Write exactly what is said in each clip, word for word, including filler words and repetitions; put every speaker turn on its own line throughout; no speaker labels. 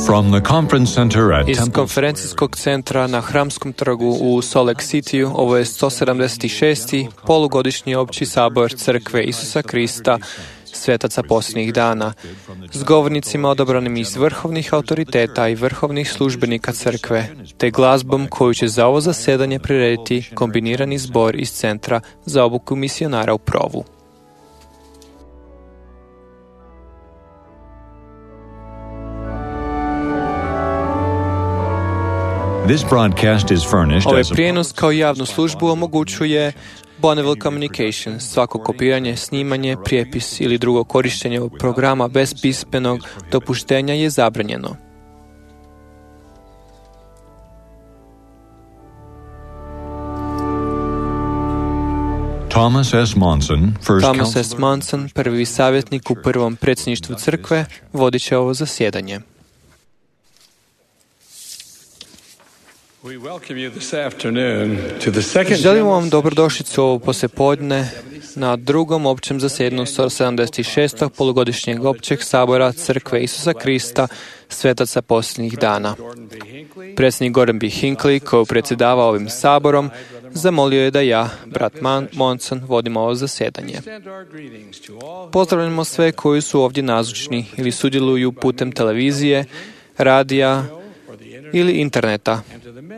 From the conference center at
Iz
Temple
konferencijskog centra na Hramskom trgu u Salt Lake Cityu, ovo je sto sedamdeset šesti polugodišnji opći sabor Crkve Isusa Krista, svetaca posljednjih dana, s govornicima odabranim iz vrhovnih autoriteta i vrhovnih službenika Crkve, te glazbom koju će za ovo zasjedanje prirediti kombinirani zbor iz Centra za obuku misionara u Provu.
This broadcast is furnished
Ovaj
as a
prijenos kao javnu službu omogućuje Bonneville Communications. Svako kopiranje, snimanje, prijepis ili drugo korištenje ovog programa bez pismenog dopuštenja je zabranjeno.
Thomas S. Monson, first
Thomas S.
counselor-
Monson, prvi savjetnik u prvom predsjedništvu Crkve, vodit će ovo zasjedanje. Želimo vam dobrodošlicu ovo poslijepodne na drugom općem zasjedanju sto sedamdeset šestog polugodišnjeg općeg sabora Crkve Isusa Krista, svetaca posljednjih dana. Predsjednik Gordon B. Hinckley, koji predsjedava ovim saborom, zamolio je da ja, brat Man- Monson, vodim ovo zasjedanje. Pozdravljamo sve koji su ovdje nazočni ili sudjeluju putem televizije, radija ili interneta,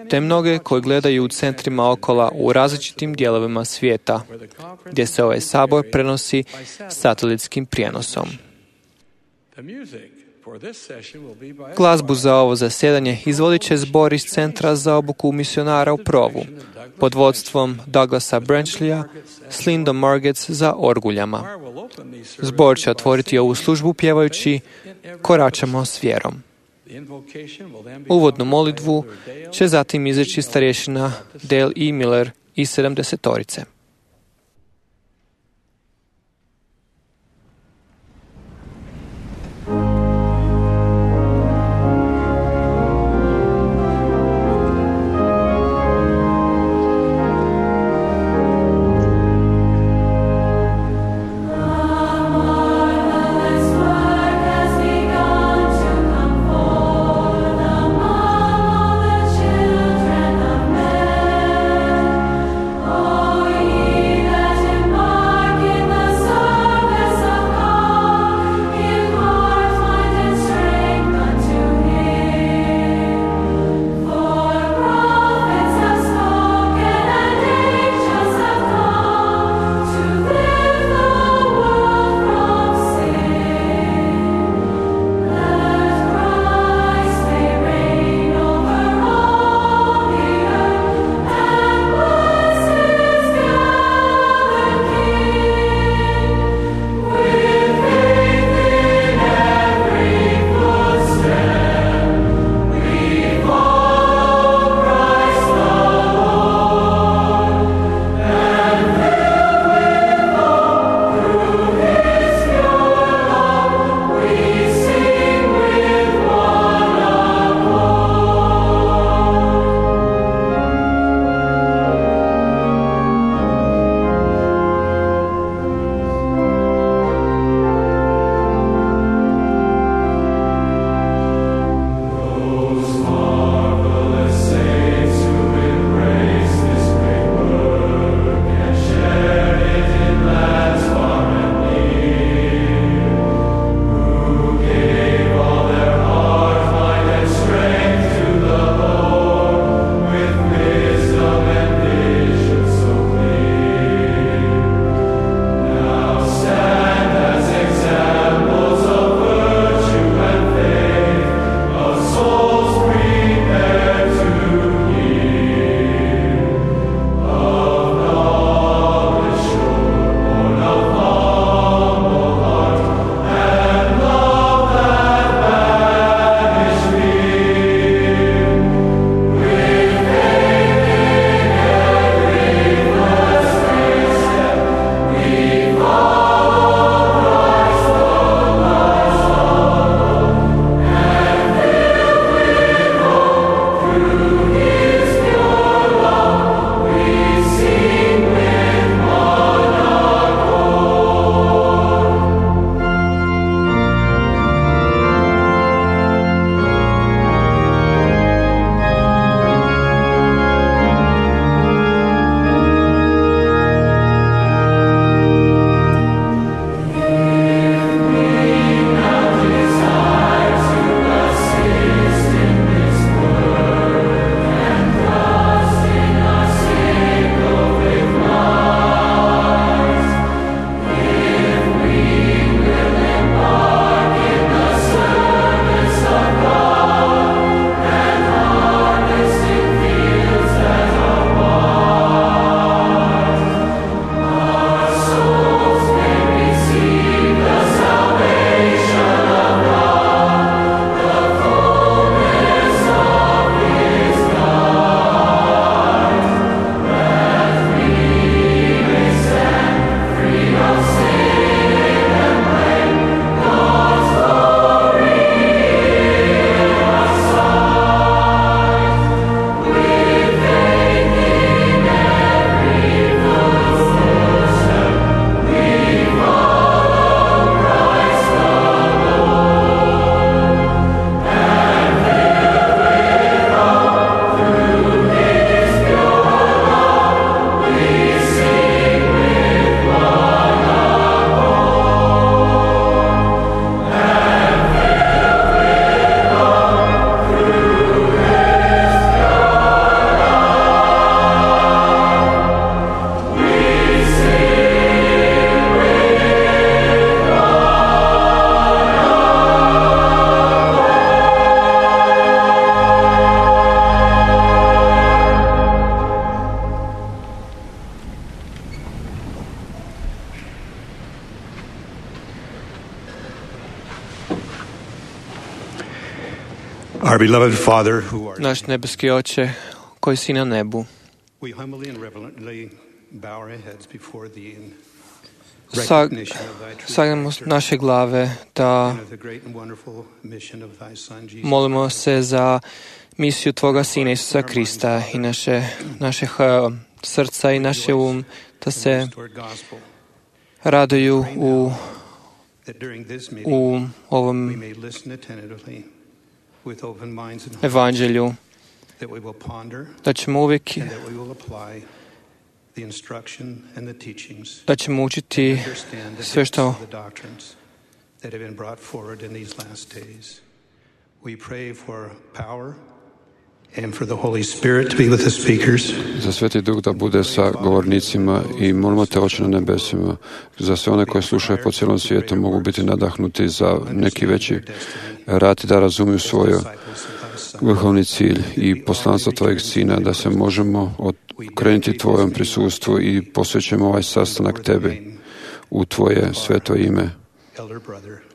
te mnoge koji gledaju u centrima okola u različitim dijelovima svijeta, gdje se ovaj sabor prenosi satelitskim prijenosom. Glazbu za ovo zasjedanje izvodit će zbor iz Centra za obuku misionara u Provu, pod vodstvom Douglasa Branchleya s Lindom Margetts za orguljama. Zbor će otvoriti ovu službu pjevajući Koračamo s vjerom. Uvodnu molitvu će zatim izreći starješina Dale E. Miller iz sedamdesetorice.
Oh, Our beloved Father who art
Naš nebeski Oče koji si na nebu,
we humbly and reverently bow our heads before thee in
Sag,
recognition of thy true
sagnemo
character
naše glave da
and of the great and wonderful mission of thy Son Jesus
molimo
Christ.
se za misiju Tvoga Sina Isusa Krista i naše, naše uh, srca i naše um da se
Restored gospel,
raduju u,
that during this meeting
u
we
ovom
may listen attentively with open minds and hearts,
evanđelju,
that we will ponder
da ćemo uvijek
and that we will apply the instruction and the teachings,
da ćemo učiti
understand the
sve
depths
što
of the doctrines that have been brought forward in these last days. We pray for power and for the Holy Spirit to be with the speakers.
Za Sveti Duh da bude sa govornicima i molimo te, Oče na nebesima, za sve one koje slušaju po cijelom svijetu mogu biti nadahnuti za neki veći rad i da razumiju svoj vrhovni cilj i poslanstvo Tvojeg Sina, da se možemo okrenuti Tvojom prisustvu i posvećujemo ovaj sastanak Tebi u Tvoje sveto ime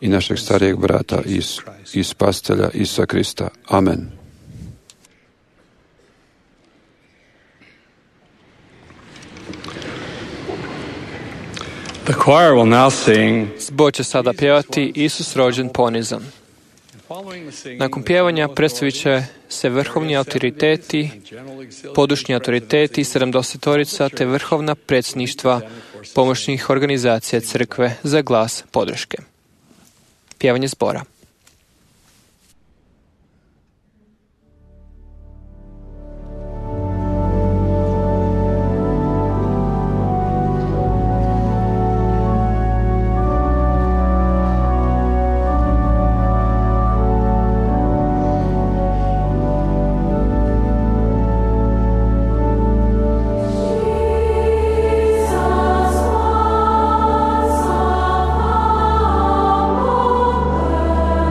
i našeg starijeg brata i, i spastelja Isusa Krista. Amen.
The choir will now sing.
Zbor će sada pjevati Isus rođen ponizan. Nakon pjevanja predstavit će se vrhovni autoriteti, podušni autoriteti i sedamdesetorica te vrhovna predsjedništva pomoćnih organizacija crkve za glas podrške. Pjevanje zbora.
Oh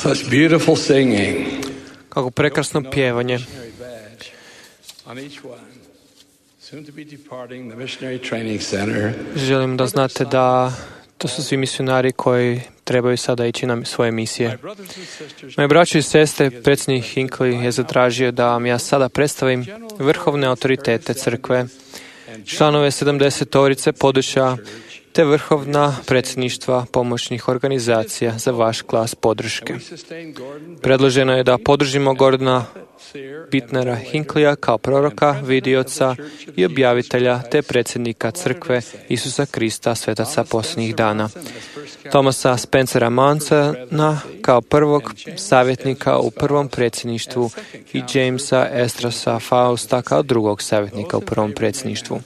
Such beautiful singing.
Kako prekrasno pjevanje.
On each one. Soon to be departing the missionary training center.
Želim da znate da to su svi misionari koji trebaju sada ići na svoje misije. Moje braće i sestre, predsjednik Hinckley je zatražio da vam ja sada predstavim vrhovne autoritete crkve, članove sedamdesetorice područja te vrhovna predsjedništva pomoćnih organizacija za vaš glas podrške. Predloženo je da podržimo Gordona Bittnera Hinckleya kao proroka, vidioca i objavitelja te predsjednika crkve Isusa Krista, svetaca posljednjih dana. Thomasa Spencera Mansona kao prvog savjetnika u prvom predsjedništvu i Jamesa Estrasa Fausta kao drugog savjetnika u prvom predsjedništvu.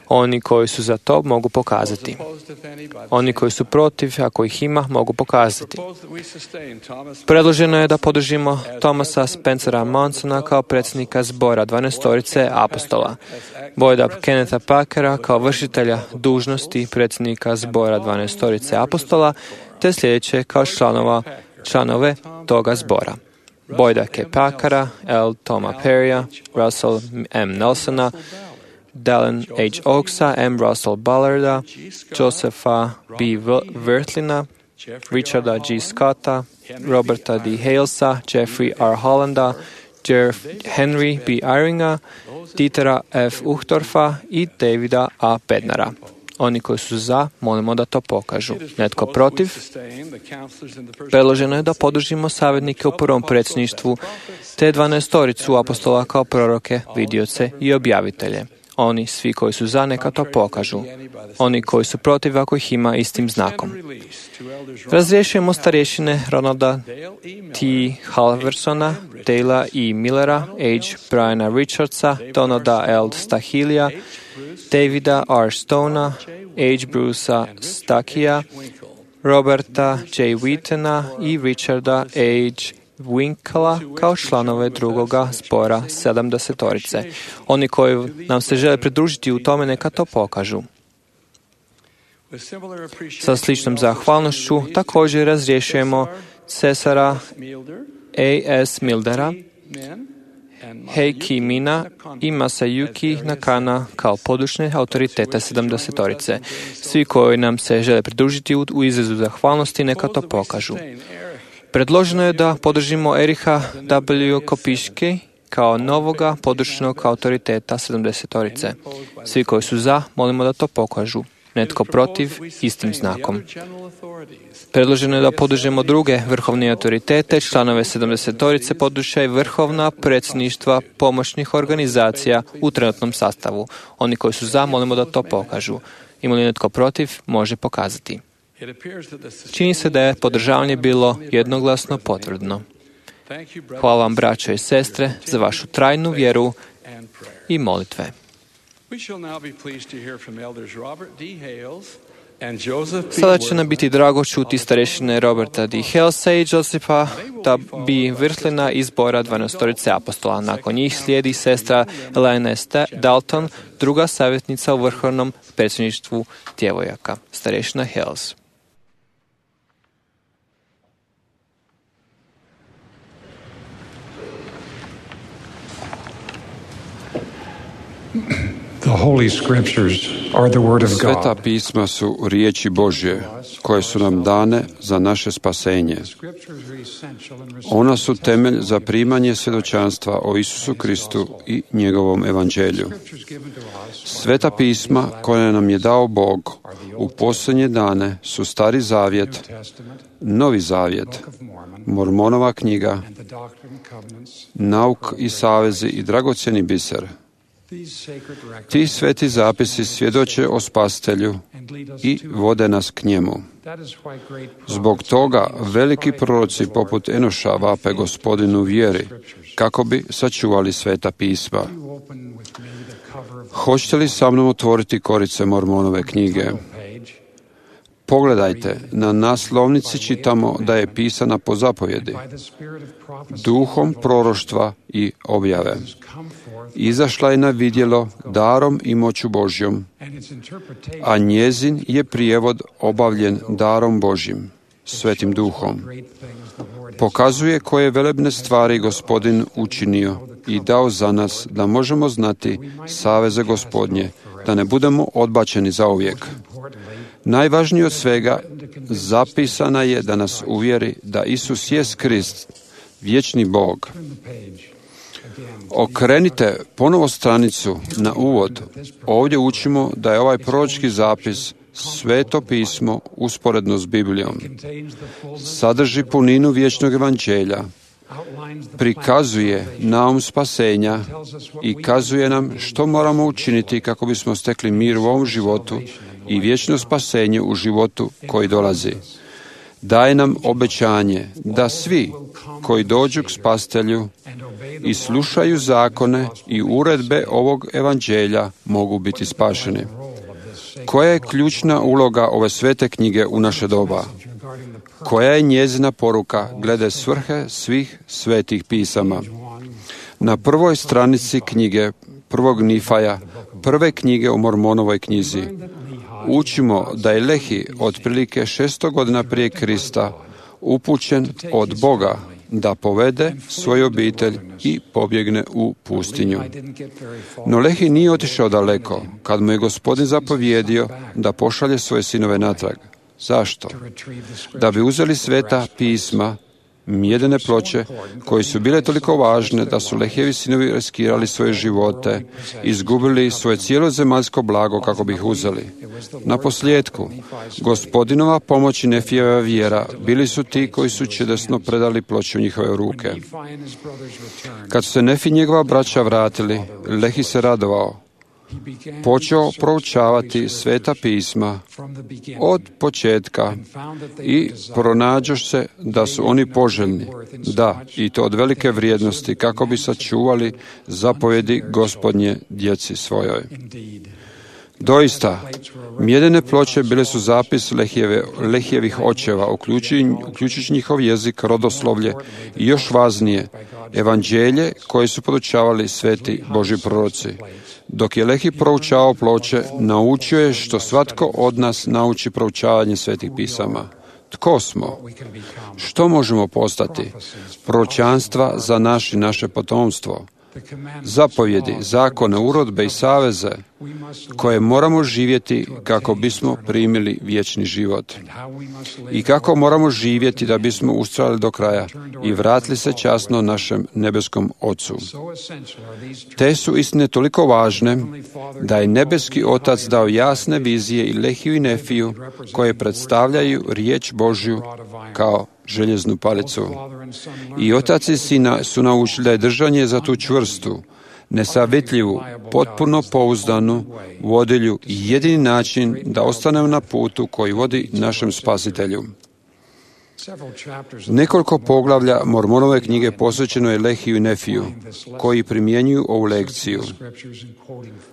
Oni koji su za to mogu pokazati. Oni koji su protiv, ako ih ima, mogu pokazati. Predloženo je da podržimo Thomasa Spencera Mansona kao predsjednika zbora dvanaestorice apostola, Boyda Kennetha Packera kao vršitelja dužnosti predsjednika zbora dvanaestorice apostola, te sljedeće kao članova, članove toga zbora. Boyda K. Packera, L. Toma Perrya, Russell M. Nelsona, Dallin H. Oaksa, M. Russell Ballarda, Josepha B. Wertlina, Richarda G. Scotta, Roberta D. Halesa, Jeffrey R. Hollanda, Jeff Henry B. Iringa, Dietera F. Uchtdorfa i Davida A. Bednara. Oni koji su za, molimo da to pokažu. Netko protiv? Predloženo je da podržimo savjetnike u prvom predsjedništvu, te dvanaestoricu apostola kao proroke, vidioce i objavitelje. Oni, svi koji su za, neka to pokažu. Oni koji su protiv, ako ih ima, istim znakom. Razriješujemo starješine Ronalda T. Halversona, Dale E. Millera, H. Briana Richardsa, Donalda L. Stahilija, Davida R. Stonea, H. Brucea Stackia, Roberta J. Wheatona i Richarda H. Winkla kao članove drugoga zbora sedamdesetorice. Oni koji nam se žele pridružiti u tome, neka to pokažu. Sa sličnom zahvalnošću također razriješujemo Cesara A S. Mildera, Heiki Mina i Masayuki Nakana kao područne autoritete sedamdesetorice. Svi koji nam se žele pridružiti u izrazu zahvalnosti, neka to pokažu. Predloženo je da podržimo Eriha W. Kopiške kao novoga područnog autoriteta sedamdesetorice. Svi koji su za, molimo da to pokažu. Netko protiv, istim znakom. Predloženo je da podržimo druge vrhovne autoritete, članove sedamdesetorice područja i vrhovna predsjedništva pomoćnih organizacija u trenutnom sastavu. Oni koji su za, molimo da to pokažu. Ima li netko protiv, može pokazati. Čini se da je podržavanje bilo jednoglasno potvrdno. Hvala vam, braćo i sestre, za vašu trajnu vjeru i molitve. Sada će nam biti drago čuti starešine Roberta D. Halesa i Josepha B. Wirtlina iz zbora dvanaestorice apostola. Nakon njih slijedi sestra Elena S. Dalton, druga savjetnica u vrhovnom predsjedništvu djevojaka. Starešina Hales.
The Holy Scriptures are the Word of God.
Sveta pisma su riječi Božje, koje su nam dane za naše spasenje. Ona su temelj za primanje svjedočanstva o Isusu Kristu i njegovom evanđelju. Sveta pisma koje nam je dao Bog u posljednje dane su Stari zavjet, Novi zavjet, Mormonova knjiga, nauk i savezi i dragocjeni biser. Ti sveti zapisi svjedoče o Spasitelju i vode nas k njemu. Zbog toga veliki proroci poput Enoša vape Gospodinu vjeri, kako bi sačuvali sveta pisma. Hoćete li sa mnom otvoriti korice Mormonove knjige? Pogledajte, na naslovnici čitamo da je pisana po zapovjedi, duhom proroštva i objave. Izašla je na vidjelo darom i moću Božjom, a njezin je prijevod obavljen darom Božjim. Svetim Duhom. Pokazuje koje velebne stvari Gospodin učinio i dao za nas da možemo znati saveze Gospodnje, da ne budemo odbačeni zauvijek. Najvažnije od svega, zapisana je da nas uvjeri da Isus jest Krist, vječni Bog. Okrenite ponovo stranicu na uvod. Ovdje učimo da je ovaj proročki zapis Sveto pismo usporedno s Biblijom. Sadrži puninu vječnog evanđelja, prikazuje naum spasenja i kazuje nam što moramo učiniti kako bismo stekli mir u ovom životu i vječno spasenje u životu koji dolazi. Daje nam obećanje da svi koji dođu k Spasitelju i slušaju zakone i uredbe ovog evanđelja mogu biti spašeni. Koja je ključna uloga ove svete knjige u naše doba? Koja je njezina poruka glede svrhe svih svetih pisama? Na prvoj stranici knjige prvog Nifaja, prve knjige u Mormonovoj knjizi, učimo da je Lehi otprilike šesto godina prije Krista upućen od Boga da povede svoju obitelj i pobjegne u pustinju. No Lehi nije otišao daleko kad mu je Gospodin zapovjedio da pošalje svoje sinove natrag. Zašto? Da bi uzeli sveta pisma, mjedene ploče, koje su bile toliko važne da su Lehijevi sinovi riskirali svoje živote, izgubili svoje cijelo zemaljsko blago kako bi ih uzeli. Na posljedku, Gospodinova pomoć i Nefijeva vjera bili su ti koji su čudesno predali ploče u njihove ruke. Kad su se Nefi i njegova braća vratili, Lehi se radovao. Počeo proučavati sveta pisma od početka i pronađoš se da su oni poželjni, da, i to od velike vrijednosti, kako bi sačuvali zapovjedi Gospodnje djeci svojoj. Doista, mjedene ploče bile su zapis Lehijeve, Lehijevih očeva, uključujući njihov jezik, rodoslovlje i još važnije, evanđelje koje su podučavali sveti Božji proroci. Dok je Lehi proučavao ploče, naučio je što svatko od nas nauči proučavanje svetih pisama. Tko smo? Što možemo postati? Proročanstva za naš i naše potomstvo. Zapovjedi, zakone, urodbe i saveze koje moramo živjeti kako bismo primili vječni život. I kako moramo živjeti da bismo ustrajali do kraja i vratili se časno našem nebeskom Ocu. Te su istine toliko važne da je nebeski Otac dao jasne vizije i Lehiju i Nefiju koje predstavljaju riječ Božju kao željeznu palicu. I Otac i Sina su naučili da je držanje za tu čvrstu, nesavitljivu, potpuno pouzdanu vodilju i jedini način da ostanemo na putu koji vodi našem Spasitelju. Nekoliko poglavlja Mormonove knjige posvećeno je Lehiju i Nefiju, koji primjenjuju ovu lekciju.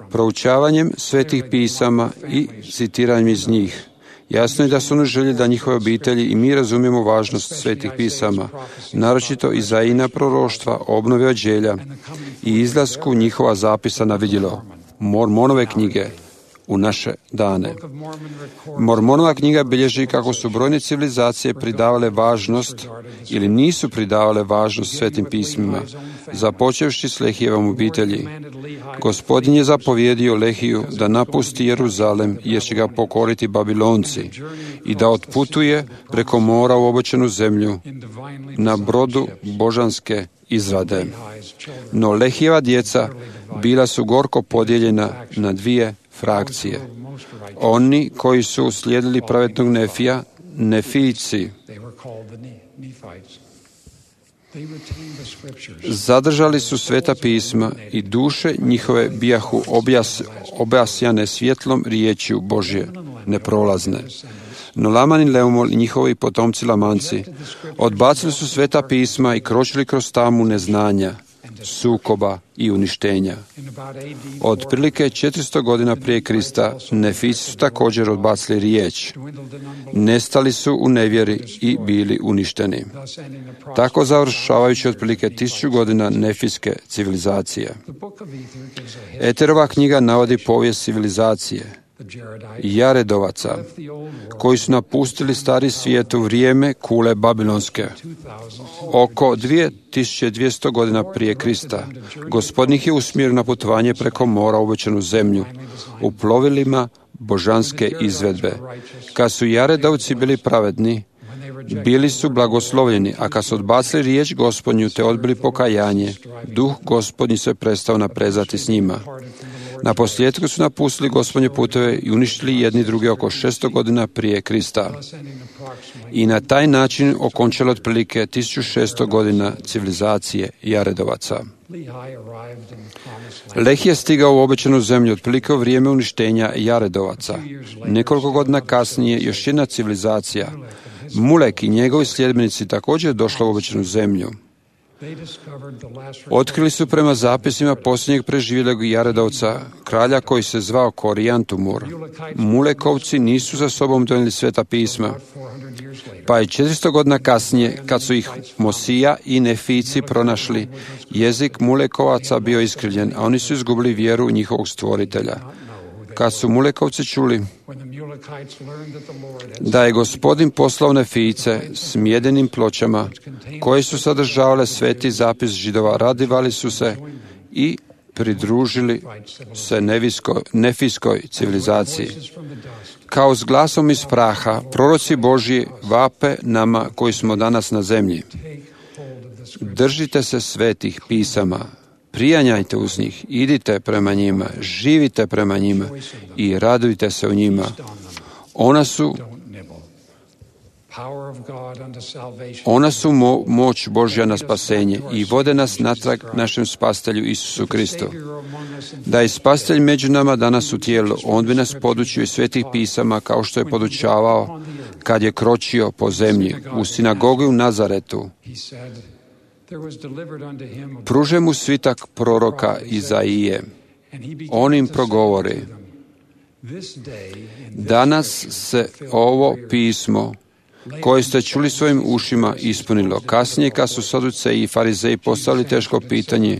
Proučavanjem svetih pisama i citiranjem iz njih, jasno je da su oni željeli da njihove obitelji i mi razumijemo važnost svetih pisama, naročito Izaijina proroštva, obnove evanđelja i izlasku njihova zapisa na vidjelo, Mormonove knjige, u naše dane. Mormonova knjiga bilježi kako su brojne civilizacije pridavale važnost ili nisu pridavale važnost svetim pismima, započevši s Lehijevom obitelji. Gospodin je zapovjedio Lehiju da napusti Jeruzalem jer će ga pokoriti Babilonci i da otputuje preko mora u obećanu zemlju na brodu božanske izrade. No Lehijeva djeca bila su gorko podijeljena na dvije frakcije. Oni koji su slijedili pravednog Nefija, Nefijci, zadržali su sveta pisma i duše njihove bijahu objas, objasjane svjetlom riječju Božje, neprolazne. No Laman i Leumol i njihovi potomci Lamanci odbacili su sveta pisma i kročili kroz tamu neznanja, sukoba i uništenja. Od prilike četiristo godina prije Krista Nefijci su također odbacili riječ. Nestali su u nevjeri i bili uništeni. Tako završavajući otprilike tisuću godina nefijske civilizacije. Eterova knjiga navodi povijest civilizacije. Jaredovaca, koji su napustili stari svijet u vrijeme kule Babilonske. Oko dvije tisuće dvjesto godina prije Krista, Gospodin ih je usmjerio na putovanje preko mora u obećanu zemlju, u plovilima božanske izvedbe. Kad su Jaredovci bili pravedni, bili su blagoslovljeni, a kad su odbacili riječ Gospodnju te odbili pokajanje, duh Gospodnji se prestao naprezati s njima. Na posljedku su napustili Gospodnje puteve i uništili jedni drugi oko šesto godina prije Krista. I na taj način okončalo otprilike tisuću šesto godina civilizacije Jaredovaca. Lehi je stigao u obećanu zemlju otprilike u vrijeme uništenja Jaredovaca. Nekoliko godina kasnije još jedna civilizacija, Mulek i njegovi sljedbenici, također je došla u obećanu zemlju. Otkrili su prema zapisima posljednjeg preživjelog Jaredovca, kralja koji se zvao Korijantumur. Mulekovci nisu za sobom donijeli sveta pisma, pa je četiristo godina kasnije, kad su ih Mosija i Nefici pronašli, jezik Mulekovaca bio iskrivljen, a oni su izgubili vjeru u njihovog stvoritelja. Kad su Mulekovci čuli da je Gospodin poslao Nefice s mjedenim pločama koje su sadržavale sveti zapis Židova, radivali su se i pridružili se neviskoj, nefijskoj civilizaciji. Kao s glasom iz praha, proroci Božji vape nama koji smo danas na zemlji. Držite se svetih pisama, prijanjajte uz njih, idite prema njima, živite prema njima i radujte se u njima. Ona su Ona su mo- moć Božja na spasenje i vode nas natrag našem spastelju Isusu Kristu. Da je spastelj među nama danas u tijelu, on bi nas podučio iz svetih pisama kao što je podučavao kad je kročio po zemlji u sinagogi u Nazaretu. Pruže mu svitak proroka Izaije. On im progovori: danas se ovo pismo koje ste čuli svojim ušima ispunilo. Kasnije, kad su Saduceji i Farizeji postavili teško pitanje: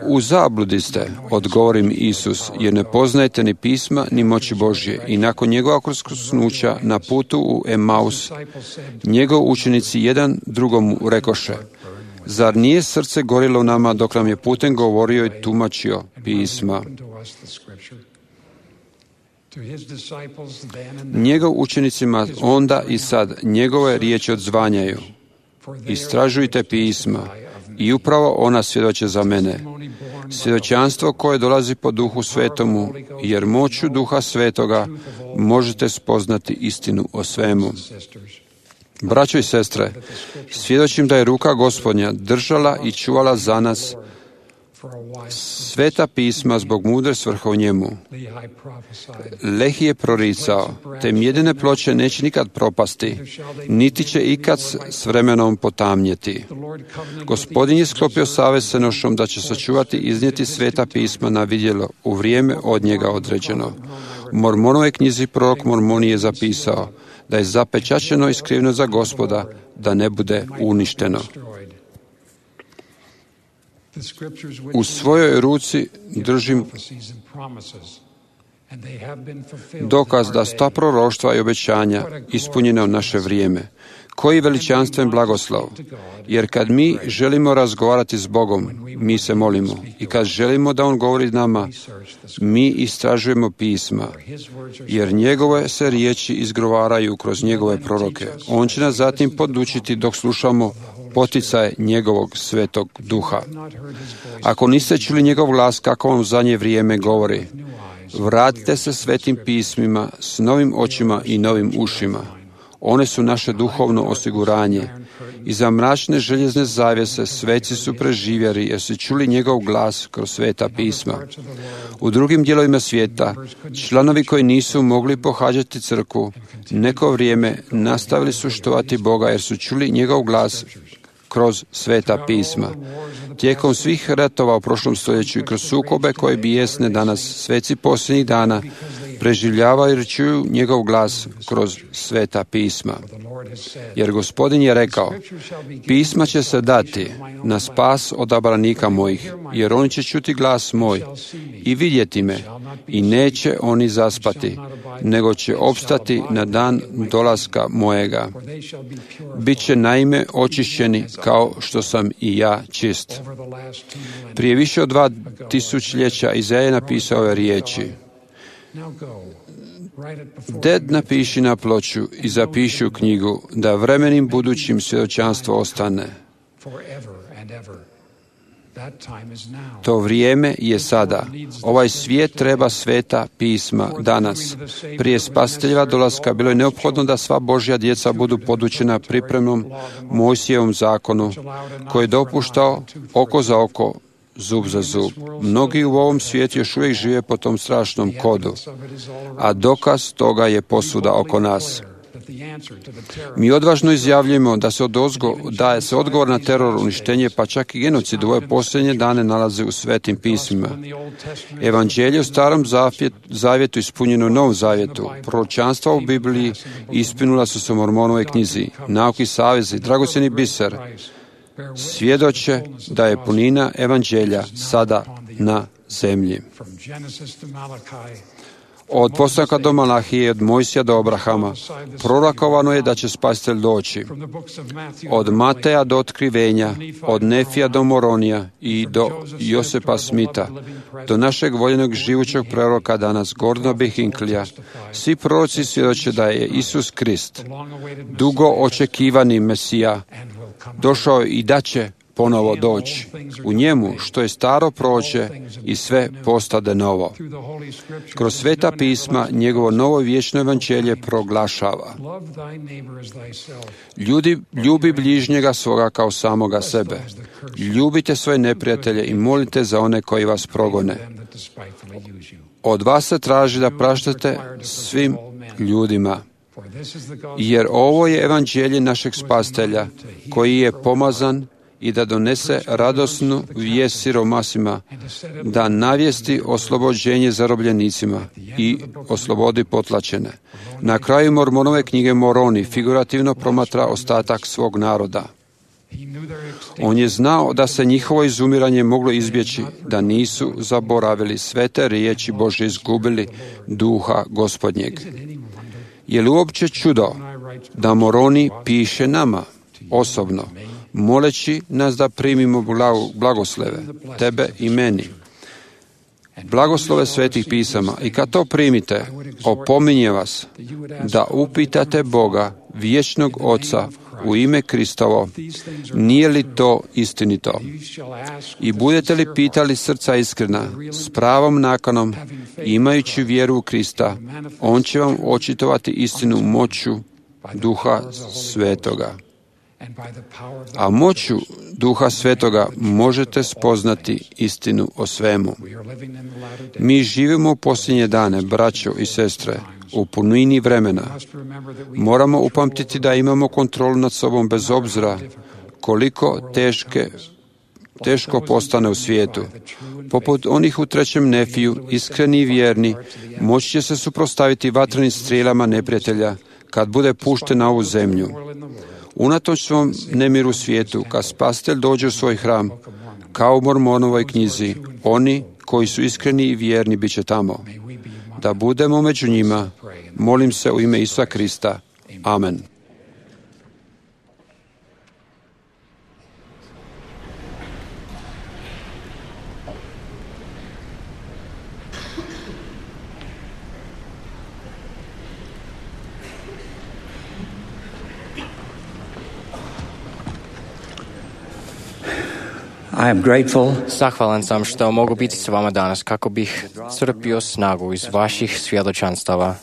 u zabludi ste, odgovorim Isus, jer ne poznajete ni pisma ni moći Božje. I nakon njegova uskrsnuća na putu u Emaus, njegov učenici jedan drugom rekoše: zar nije srce gorilo u nama dok nam je putem govorio i tumačio pisma? Njegov učenicima onda i sad njegove riječi odzvanjaju: istražujte pisma i upravo ona svjedoče za mene. Svjedočanstvo koje dolazi po Duhu Svetomu, jer moću Duha Svetoga možete spoznati istinu o svemu. Braćo i sestre, svjedočim da je ruka Gospodnja držala i čuvala za nas sveta pisma zbog mudre svrhe u njemu. Lehi je proricao: te mjedene ploče neće nikad propasti, niti će ikad s vremenom potamnjeti. Gospodin je sklopio savez s Enošom da će sačuvati i iznijeti sveta pisma na vidjelo u vrijeme od njega određeno. U Mormonovoj knjizi prorok Mormoni je zapisao da je zapečaćeno i skriveno za Gospoda, da ne bude uništeno. U svojoj ruci držim dokaz da su ta proroštva i obećanja ispunjena u naše vrijeme. Koji veličanstven blagoslov! Jer kad mi želimo razgovarati s Bogom, mi se molimo. I kad želimo da On govori nama, mi istražujemo pisma. Jer njegove se riječi izgovaraju kroz njegove proroke. On će nas zatim podučiti dok slušamo poticaje njegovog svetog duha. Ako niste čuli njegov glas, kako vam u zadnje vrijeme govori: vratite se svetim pismima s novim očima i novim ušima. One su naše duhovno osiguranje. Iza mračne željezne zavjese sveci su preživjeli jer su čuli njegov glas kroz sveta pisma. U drugim dijelovima svijeta, članovi koji nisu mogli pohađati crkvu, neko vrijeme nastavili su štovati Boga jer su čuli njegov glas kroz sveta pisma. Tijekom svih ratova u prošlom stoljeću i kroz sukobe koje bijesne danas, sveci posljednjih dana preživljavaju jer čuju njegov glas kroz sveta pisma. Jer Gospodin je rekao: pisma će se dati na spas odabranika mojih, jer oni će čuti glas moj i vidjeti me, i neće oni zaspati, nego će opstati na dan dolaska mojega. Biće naime očišćeni kao što sam i ja čist. Prije više od dva tisućljeća Izaja je napisao ove riječi. Ded napiši na ploču i zapiši u knjigu, da vremenim budućim svjedočanstvo ostane. To vrijeme je sada. Ovaj svijet treba sveta pisma danas. Prije spasiteljeva dolaska bilo je neophodno da sva Božja djeca budu podučena pripremnom Mojsijevom zakonu, koji je dopuštao oko za oko, zub za zub. Mnogi u ovom svijetu još uvijek žive po tom strašnom kodu, a dokaz toga je posuda oko nas. Mi odvažno izjavljujemo da se odozgo daje se odgovor na teror, uništenje, pa čak i genocid u ove posljednje dane nalaze u svetim pismima. Evanđelje u Starom zavjetu ispunjeno u Novom zavjetu. Proročanstva u Bibliji ispunila su se u Mormonovoj knjizi. Nauki savezi, dragocjeni biser, svjedoče da je punina Evanđelja sada na zemlji. Od postanka do Malahije, od Mojsija do Abrahama, prorokovano je da će spasitelj doći. Od Mateja do Otkrivenja, od Nefija do Moronija i do Josepa Smita, do našeg voljenog živućeg proroka danas, Gordona B. Hinklija, svi proroci svjedoče da je Isus Krist, dugo očekivani Mesija, došao i da će ponovo doći. U njemu, što je staro prođe i sve postade novo. Kroz sveta pisma, njegovo novo vječno evanđelje proglašava. Ljudi, ljubi bližnjega svoga kao samoga sebe. Ljubite svoje neprijatelje i molite za one koji vas progone. Od vas se traži da praštate svim ljudima. Jer ovo je evanđelje našeg spasitelja, koji je pomazan i da donese radosnu vijest siromasima, da navijesti oslobođenje zarobljenicima i oslobodi potlačene. Na kraju Mormonove knjige Moroni figurativno promatra ostatak svog naroda. On je znao da se njihovo izumiranje moglo izbjeći, da nisu zaboravili sve te riječi Božje, izgubili duha Gospodnjeg. Je li uopće čudo da Moroni piše nama osobno, moleći nas da primimo blagoslove, tebe i meni, blagoslove svetih pisama, i kad to primite, opominje vas da upitate Boga, vječnog Oca, u ime Kristovo, nije li to istinito? I budete li pitali srca iskrena, s pravom nakanom, imajući vjeru u Krista, on će vam očitovati istinu moću Duha Svetoga. A moću Duha Svetoga možete spoznati istinu o svemu. Mi živimo u posljednje dane, braćo i sestre, u punini vremena. Moramo upamtiti da imamo kontrolu nad sobom bez obzira koliko teške, teško postane u svijetu. Poput onih u trećem Nefiju, iskreni i vjerni, moći će se suprotstaviti vatrenim strijelama neprijatelja kad bude pušten na ovu zemlju. Unatoč svom nemiru u svijetu, kad spasitelj dođe u svoj hram, kao u Mormonovoj knjizi, oni koji su iskreni i vjerni bit će tamo. Da budemo među njima, molim se u ime Isusa Krista. Amen.
I am grateful.
Zahvalan sam što mogu biti s vama danas kako bih crpio snagu iz vaših svjedočanstava.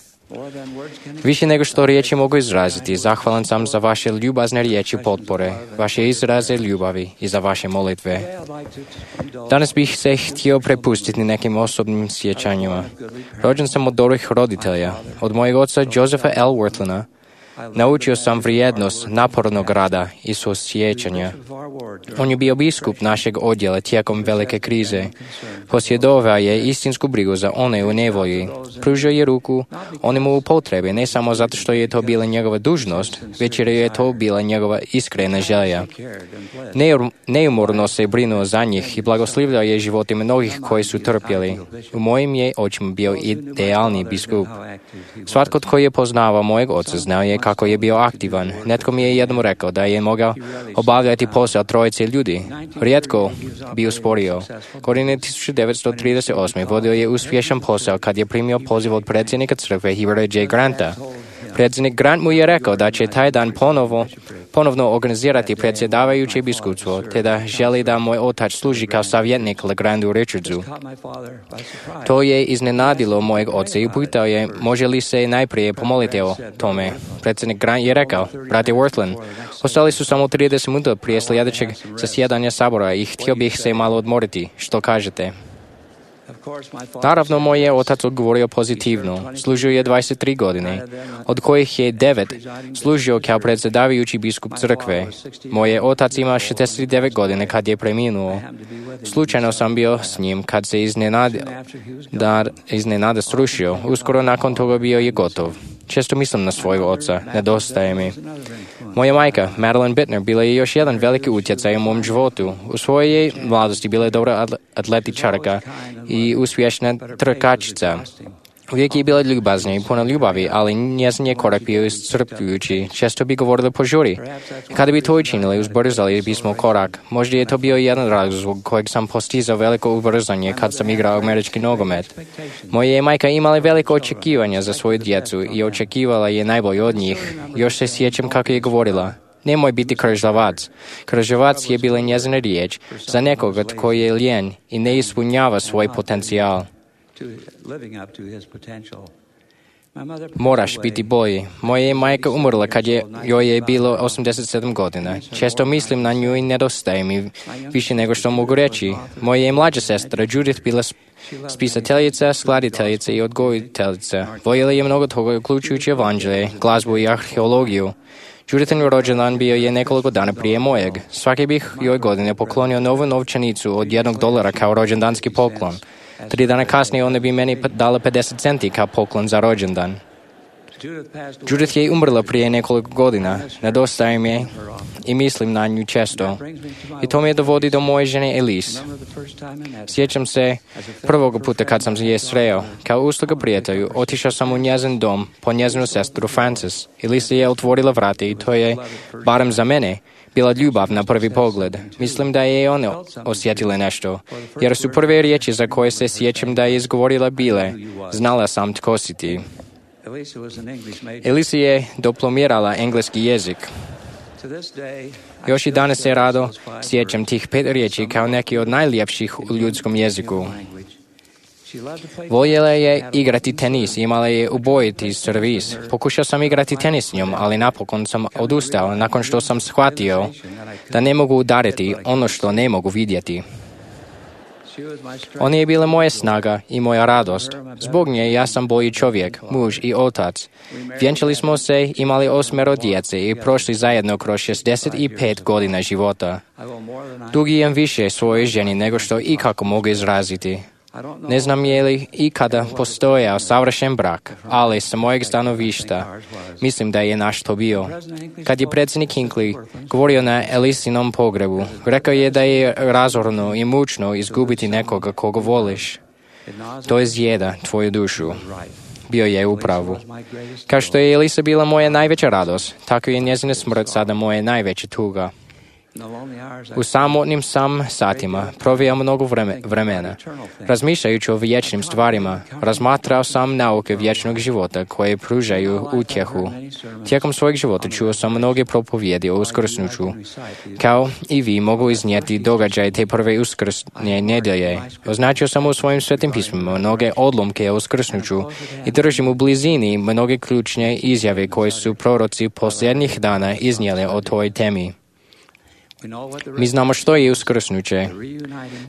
Više nego što riječi mogu izraziti, zahvalan sam za vaše ljubazne riječi potpore, vaše izraze ljubavi i za vaše molitve. Danas bih se htio prepustiti nekim osobnim sjećanjima. Rođen sam od dobrih roditelja, od mojeg oca Josepha L. Worthlina, Naučio sam vrijednost napornog rada i suosjećanja. On je bio biskup našeg odjela tijekom velike krize. Posjedovao je istinsku brigu za one u nevolji. Pružio je ruku onemu u potrebi, ne samo zato što je to bila njegova dužnost, već jer je to bila njegova iskrena želja. Neumorno se brinuo za njih i blagoslivljao je živote mnogih koji su trpjeli. U mojim je očima bio idealni biskup. Svatko tko je poznavao mojeg oca znao je kako je bio aktivan. Netko mi je jednom rekao da je mogao obavljati posao trojice ljudi. Rijetko bi usporio. Godine tisuću devetsto trideset osme. vodio je uspješan posao kad je primio poziv od predsjednika crkve Hubert J. Granta. Predsjednik Grant mu je rekao da će taj dan ponovo, ponovno organizirati predsjedavajuće biskupstvo, te da želi da moj otac služi kao savjetnik Legrandu Richardsu. To je iznenadilo mojeg oca i upitao je može li se najprije pomoliti o tome. Predsjednik Grant je rekao, brate Worthland, ostali su samo trideset minuta prije sljedećeg zasjedanja sabora i htio bih se malo odmoriti. Što kažete? Naravno, moj je otac odgovorio pozitivno. Služio je dvadeset tri godine, od kojih je devet služio kao predsjedavajući biskup crkve. Moj je otac ima šezdeset devet godine kad je preminuo. Slučajno sam bio s njim kad se iznenada, da iznenada srušio. Uskoro nakon toga bio je gotov. Često mislim na svojeg oca, nedostaje mi. Moja majka, Madeline Bittner, bila je još jedan veliki utjecaj u mom životu. U svojoj mladosti bila je dobra atletičarka i uspješna trkačica. Uvijek je bila ljubazna i puna ljubavi, ali njezin je korak bio iscrpljujući. Često bi govorila požuri. Kada bi to učinili, uzbrzali bismo korak. Možda je to bio jedan razlog zbog kojeg sam postizao veliko ubrzanje kad sam igrao američki nogomet. Moja je majka imala veliko očekivanja za svoju djecu i očekivala je najbolje od njih. Još se sjećam kako je govorila. Nemoj biti kržljavac. Kržljavac je bila njezina riječ za nekoga tko je lijen i ne ispunjava svoj potencijal. Moraš biti bolji. Moja je majka umrla kad je, joj je bilo osamdeset sedam godina. Često mislim na nju i nedostaje mi više nego što mogu reći. Moja je mlađa sestra, Judith, bila spisateljica, skladiteljica i odgojiteljica. Voljela je mnogo toga, uključujući evanđelje, glazbu i arheologiju. Judithin rođendan bio je nekoliko dana prije mojeg. Svake bih joj godine poklonio novu novčanicu od jednog dolara kao rođendanski poklon. Tri dana kasnije ona bi meni dala pedeset centi kao poklon za rođendan. Judith je umrla prije nekoliko godina. Nedostaje mi je i mislim na nju često. I to me dovodi do moje žene Elise. Sjećam se prvog puta kad sam je sreo. Kao usluga prijatelju, otišao sam u njezin dom po njezinu sestru Frances. Elise je otvorila vrata i to je, barem za mene, bila ljubav na prvi pogled. Mislim da je ona osjetila nešto, jer su prve riječi za koje se sjećam da je izgovorila bile, znala sam tko si ti. Elise je diplomirala engleski jezik. Još i danas se rado sjećam tih pet riječi kao neki od najljepših u ljudskom jeziku. Voljela je igrati tenis, imala je ubojiti servis. Pokušao sam igrati tenis s njom, ali napokon sam odustao nakon što sam shvatio da ne mogu udariti ono što ne mogu vidjeti. Ona je bila moja snaga i moja radost. Zbog nje ja sam bolji čovjek, muž i otac. Vjenčali smo se, imali osmero djece i prošli zajedno kroz šezdeset pet godina života. Dugujem više svojoj ženi nego što ikako mogu izraziti. Ne znam je li ikada postojao savršen brak, ali sa mojeg stanovišta mislim da je naš to bio. Kad je predsjednik Hinckley govorio na Elisinom pogrebu, rekao je da je razorno i mučno izgubiti nekoga koga voliš. To izjeda tvoju dušu. Bio je u pravu. Kao što je Elisa bila moja najveća radost, tako je njezina smrt sada moja najveća tuga. U samotnim sam satima provijao mnogo vreme, vremena. Razmišljajući o vječnim stvarima, razmatrao sam nauke vječnog života koje pružaju utjehu. Tijekom svojeg života čuo sam mnoge propovjedi o uskrsnuću. Kao i vi mogu iznijeti događaje te prve uskrsne nedjelje. Označio sam u svojim svetim pismima mnoge odlomke o uskrsnuću i držim u blizini mnoge ključne izjave koje su proroci posljednjih dana iznijeli o toj temi. Mi znamo što je uskrsnuće.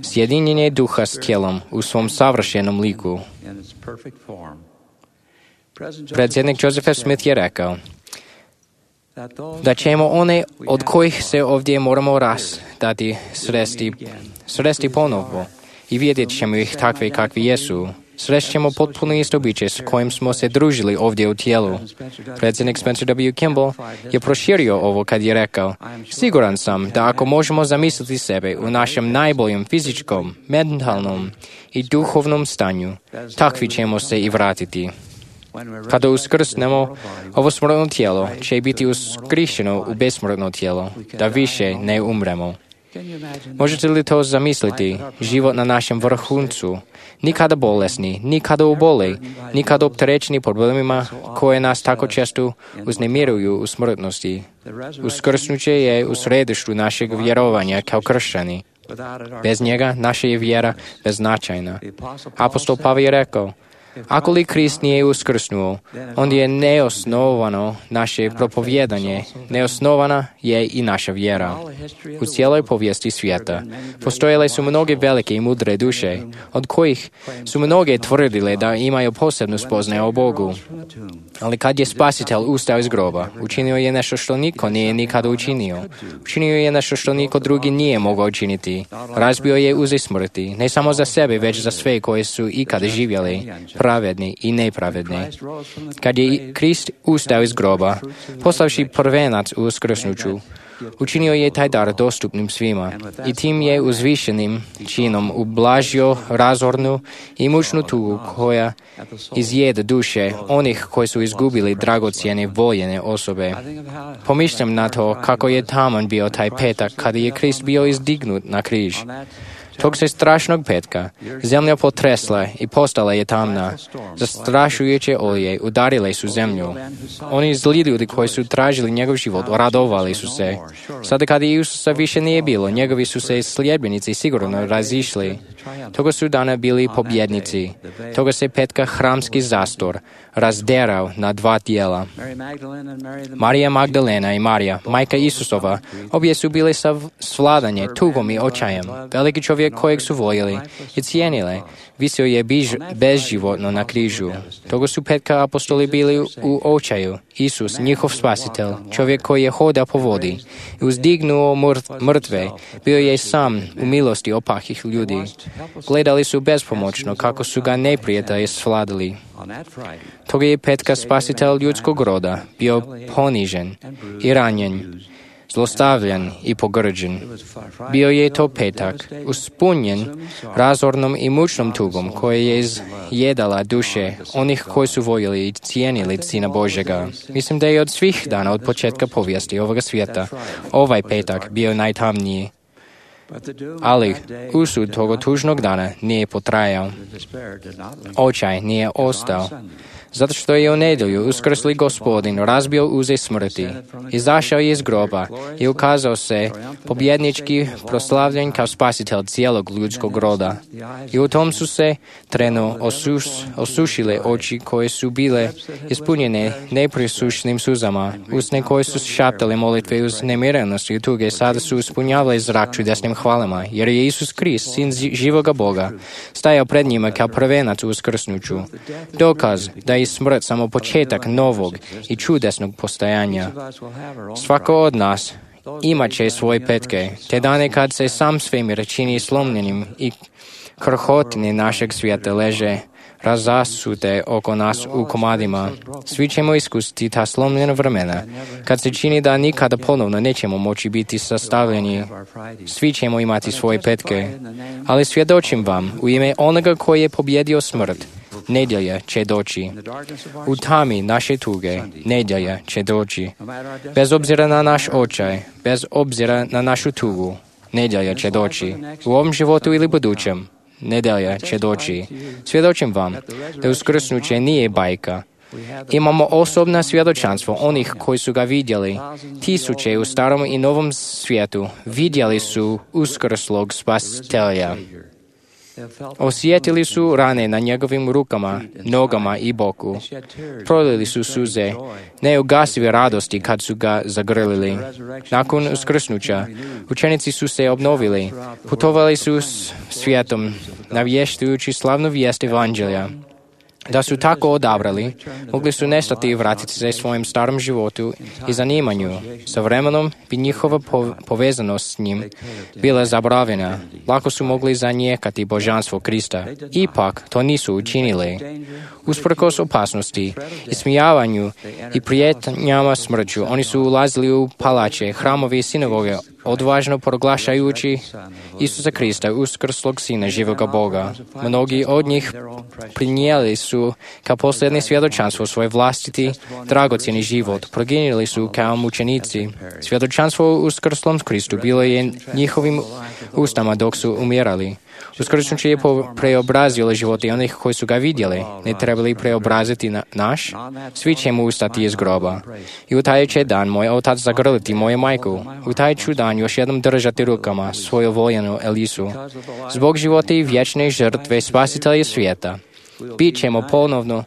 Sjedinjenje duha s tijelom u svom savršenom liku. Predsjednik Joseph F. Smith je rekao, da ćemo one od kojih se ovdje moramo rastati sresti, sresti ponovo i vidjet ćemo ih takve kakvi jesu. Srećemo potpuno isto biće s kojim smo se družili ovdje u tijelu. Predsjednik Spencer W. Kimball je proširio ovo kad je rekao: siguran sam da ako možemo zamisliti sebe u našem najboljem fizičkom, mentalnom i duhovnom stanju, takvi ćemo se i vratiti. Kada uskrsnemo, ovo smrtno tijelo će biti uskrišeno u besmrtno tijelo, da više ne umremo. Možete li to zamisliti? Život na našem vrhuncu, nikada bolesni, nikada uboli, nikada opterećeni problemima koje nas tako često uznemiruju u smrtnosti. Uskrsnuće je u središtu našeg vjerovanja kao kršćani. Bez njega naša je vjera beznačajna. Apostol Pavel je rekao: ako li Krist nije uskrsnuo, onda je neosnovano naše propovjedanje, neosnovana je i naša vjera. U cijeloj povijesti svijeta postojale su mnoge velike i mudre duše, od kojih su mnoge tvrdile da imaju posebnu spoznaju o Bogu. Ali kad je Spasitelj ustao iz groba, učinio je nešto što niko nije nikada učinio. Učinio je nešto što niko drugi nije mogao učiniti. Razbio je uze smrti, ne samo za sebe, već za sve koji su ikada živjeli, pravedni i nepravedni. Kad je Krist ustao iz groba, poslavši prvenac u uskrsnuću, učinio je taj dar dostupnim svima i tim je uzvišenim činom ublažio razornu i mučnu tugu koja izjeda duše onih koji su izgubili dragocjene voljene osobe. Pomišljam na to kako je taman bio taj petak kada je Krist bio izdignut na križ. Tog se strašnog petka zemlja potresla i postala je tamna. Zastrašujuće olje udarile su zemlju. Oni zli ljudi koji su tražili njegov život radovali su se. Sada kada Isusa više nije bilo, njegovi su se sljedbenici sigurno razišli. Toga su dana bili pobjednici. Toga se petka hramski zastor razderao na dva dijela. Marija Magdalena i Marija, majka Isusova, obje su bile svladanje tugom i očajem. Veliki čovjek kojeg su voljeli i cijenile, visio je biž, bezživotno na križu. Toga su petka apostoli bili u očaju. Isus, njihov spasitelj, čovjek koji je hodao po vodi i uzdignuo mrtve, bio je sam u milosti opahih ljudi. Gledali su bespomoćno kako su ga neprijatelji svladali. Toga je petka spasitelj ljudskog roda bio ponižen i ranjen, zlostavljan i pogrđen. Bio je to petak, uspunjen razornom i mučnom tugom koja je izjedala duše onih koji su voljeli i cijenili Sina Božjega. Mislim da je od svih dana od početka povijesti ovoga svijeta ovaj petak bio najtamniji. Ali usud toga tužnog dana nije potrajao. Očaj nije ostao. Zato što je u nedjelju uskrsli Gospodin razbio uze smrti, izašao je iz groba i ukazao se pobjednički proslavljen kao spasitelj cijelog ljudskog roda. I u tom su se trenu osuš, osušile oči koje su bile ispunjene neprisušnim suzama, usne koje su šaptale molitve uz nemirenost i tuge, sada su ispunjavale zrak čudesnim hvalama, jer je Isus Krist, sin živoga Boga, stajao pred njima kao prvenac u uskrsnuću. Dokaz da je smrt samo početak novog i čudesnog postojanja. Svako od nas imat će svoje petke, te dane kad se sam svemir čini slomljenim i krhotine našeg svijeta leže razasute oko nas u komadima. Svi ćemo iskusiti ta slomljena vremena, kad se čini da nikada ponovno nećemo moći biti sastavljeni. Svi ćemo imati svoje petke, ali svjedočim vam u ime onoga koji je pobjedio smrt, nedjelja će doći. U tami naše tuge, nedjelja će doći. Bez obzira na naš očaj, bez obzira na našu tugu, nedjelja će doći. U ovom životu ili budućem, nedjelja će doći. Svjedočim vam da uskrsnuće nije bajka. Imamo osobna svjedočanstvo onih koji su ga vidjeli. Tisuće u starom i novom svijetu vidjeli su uskrslog spasitelja. Osjetili su rane na njegovim rukama, nogama i boku. Prolili su suze, neugasive radosti kad su ga zagrlili. Nakon uskrsnuća, učenici su se obnovili, putovali su s svijetom, navještujući slavnu vijest evanđelja. Da su tako odabrali, mogli su nestati i vratiti se svojim starom životu i zanimanju. Sa vremenom bi njihova povezanost s njim bila zaboravljena. Lako su mogli zanijekati božanstvo Krista. Ipak to nisu učinili. Usprkos opasnosti, ismijavanju i prijetnjama smrću, oni su ulazili u palače, hramove i sinagoge, odvažno proglašajući Isusa Krista, uskrslog Sina živoga Boga. Mnogi od njih prinijeli su kao posljednje svjedočanstvo svoj vlastiti dragocjeni život. Proginili su kao mučenici. Svjedočanstvo o uskrslom Kristu bilo je njihovim ustama dok su umirali. Uskrsnuće je preobrazilo živote onih koji su ga vidjeli. Ne trebali preobraziti na naš? Svi ćemo ustati iz groba. I u taj će dan moj otac zagrliti moju majku. U taj ću dan još jednom držati rukama svoju voljenu Elisu. Zbog života i vječne žrtve spasitelja svijeta. Bit ćemo ponovno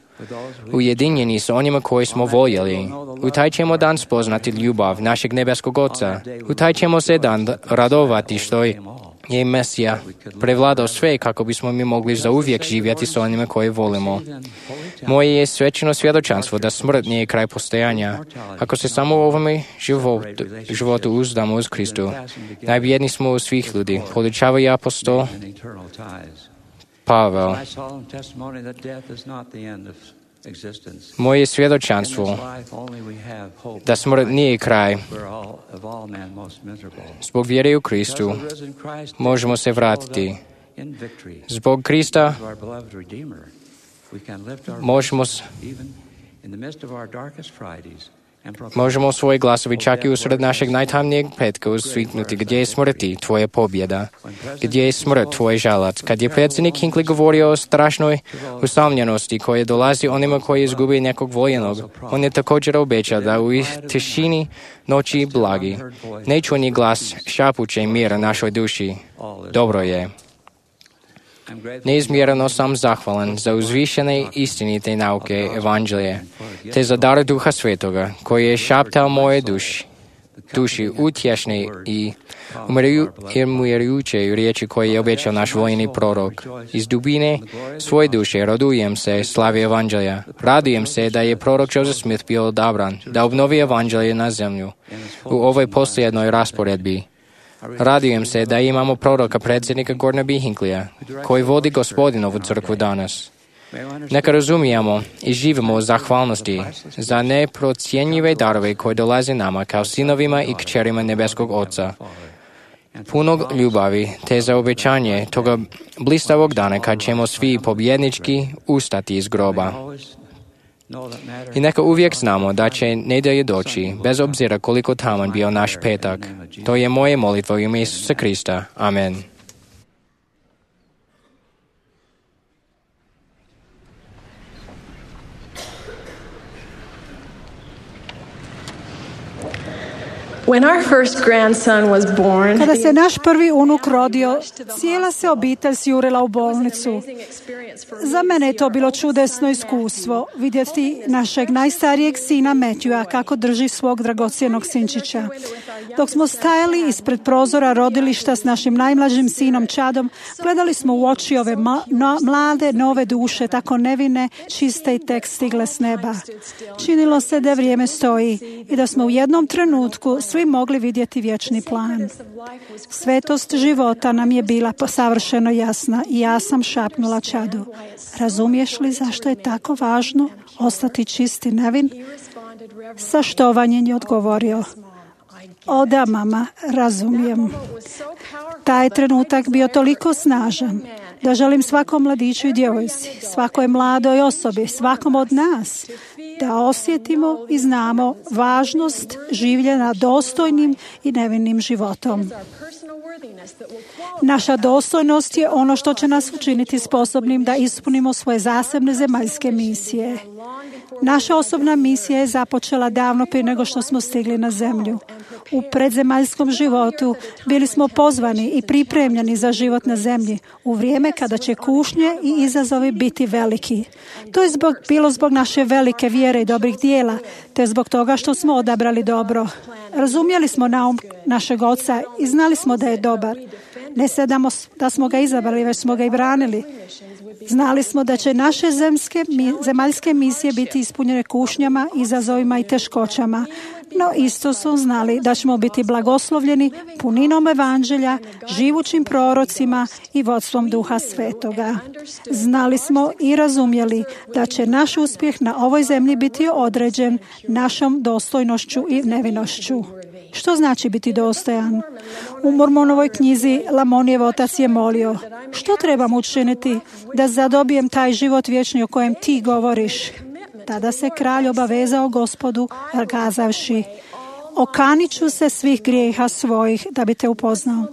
ujedinjeni s onima koji smo voljeli. U taj ćemo dan spoznati ljubav našeg nebeskog Oca. U taj ćemo se dan radovati što je je Mesija prevladao sve kako bismo mi mogli zauvijek živjeti s onima koje volimo. Moje je svećeno svjedočanstvo da smrt nije kraj postojanja. Ako se samo u ovome životu, životu uzdamo uz Kristu, najbjedniji smo u svih ljudi, podučava i apostol Pavel. Moje svjedočanstvo da smrt nije kraj. Zbog vjere u Kristu možemo se vratiti. Zbog Krista možemo Možemo svoje glasovi čak i usred našeg najtamnijeg petka usviknuti gdje je smrti tvoja pobjeda, gdje je smrt tvoj žalac. Kad je predsjednik Hinckley govorio o strašnoj usamljenosti koje dolazi onima koji izgubi nekog voljenog, on je također obećao da u tišini noći blagi nečuni glas šapuće mira našoj duši. Dobro je. Neizmjerno sam zahvalan za uzvišene istinite nauke Evanđelje, te za dar Duha Svetoga, koji je šaptao moje duši, duši utješne i umirujuće riječi koje je obećao naš vojni prorok. Iz dubine svoje duše radujem se slavi Evanđelja. Radujem se da je prorok Joseph Smith bio odabran, da obnovi Evanđelje na zemlju u ovoj posljednoj rasporedbi. Radujem se da imamo proroka predsjednika Gordona B. Hinckleyja, koji vodi Gospodinovu crkvu danas. Neka razumijemo i živimo u zahvalnosti za neprocjenjive darove koje dolaze nama kao sinovima i kćerima nebeskog Oca. Punog ljubavi te za obećanje toga blistavog dana kad ćemo svi pobjednički ustati iz groba. I neka uvijek znamo da će nedjelje doći, bez obzira koliko taman bio naš petak. To je moje molitvo u ime Isusa Krista. Amen.
When our first grandson was born,
Kada se naš prvi unuk rodio, cijela se obitelj sjurila u bolnicu. Za mene je to bilo čudesno iskustvo, vidjeti našeg najstarijeg sina Matthewa kako drži svog dragocjenog sinčića. Dok smo stajali ispred prozora rodilišta s našim najmlađim sinom Chadom, gledali smo u oči ove ma- no, mlade, nove duše, tako nevine, čiste i tek stigle s neba. Činilo se da vrijeme stoji i da smo u jednom trenutku svi mogli vidjeti vječni plan. Svetost života nam je bila savršeno jasna i ja sam šapnula Chadu: razumiješ li zašto je tako važno ostati čist i nevin? Sa štovanjem je odgovorio: o da, mama, razumijem. Taj trenutak bio toliko snažan da želim svakom mladiću i djevojci, svakoj mladoj osobi, svakom od nas da osjetimo i znamo važnost življenja dostojnim i nevinim životom. Naša dostojnost je ono što će nas učiniti sposobnim da ispunimo svoje zasebne zemaljske misije. Naša osobna misija je započela davno prije nego što smo stigli na zemlju. U predzemaljskom životu bili smo pozvani i pripremljeni za život na zemlji u vrijeme kada će kušnje i izazovi biti veliki. To je zbog, bilo zbog naše velike vjere i dobrih dijela, te zbog toga što smo odabrali dobro. Razumjeli smo naum našeg Oca i znali smo da je dobar. Ne sedamo da smo ga izabrali, već smo ga i branili. Znali smo da će naše zemske, zemaljske misije biti ispunjene kušnjama, izazovima i teškoćama. No isto su znali da ćemo biti blagoslovljeni puninom evanđelja, živućim prorocima i vodstvom Duha Svetoga. Znali smo i razumjeli da će naš uspjeh na ovoj zemlji biti određen našom dostojnošću i nevinošću. Što znači biti dostojan? U Mormonovoj knjizi Lamonijev otac je molio: što trebam učiniti da zadobijem taj život vječni o kojem ti govoriš? Tada se kralj obavezao Gospodu, kazavši: okanit ću se svih grijeha svojih da bi te upoznao.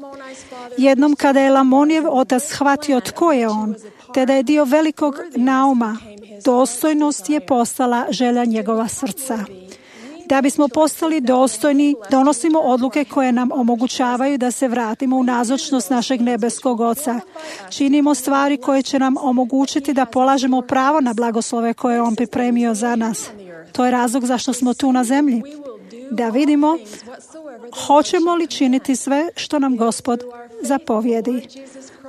Jednom kada je Lamonijev otac shvatio tko je on, te da je dio velikog nauma, dostojnost je postala želja njegova srca. Da bismo postali dostojni, donosimo odluke koje nam omogućavaju da se vratimo u nazočnost našeg nebeskog Oca. Činimo stvari koje će nam omogućiti da polažemo pravo na blagoslove koje je On pripremio za nas. To je razlog zašto smo tu na zemlji. Da vidimo hoćemo li činiti sve što nam Gospod zapovjedi.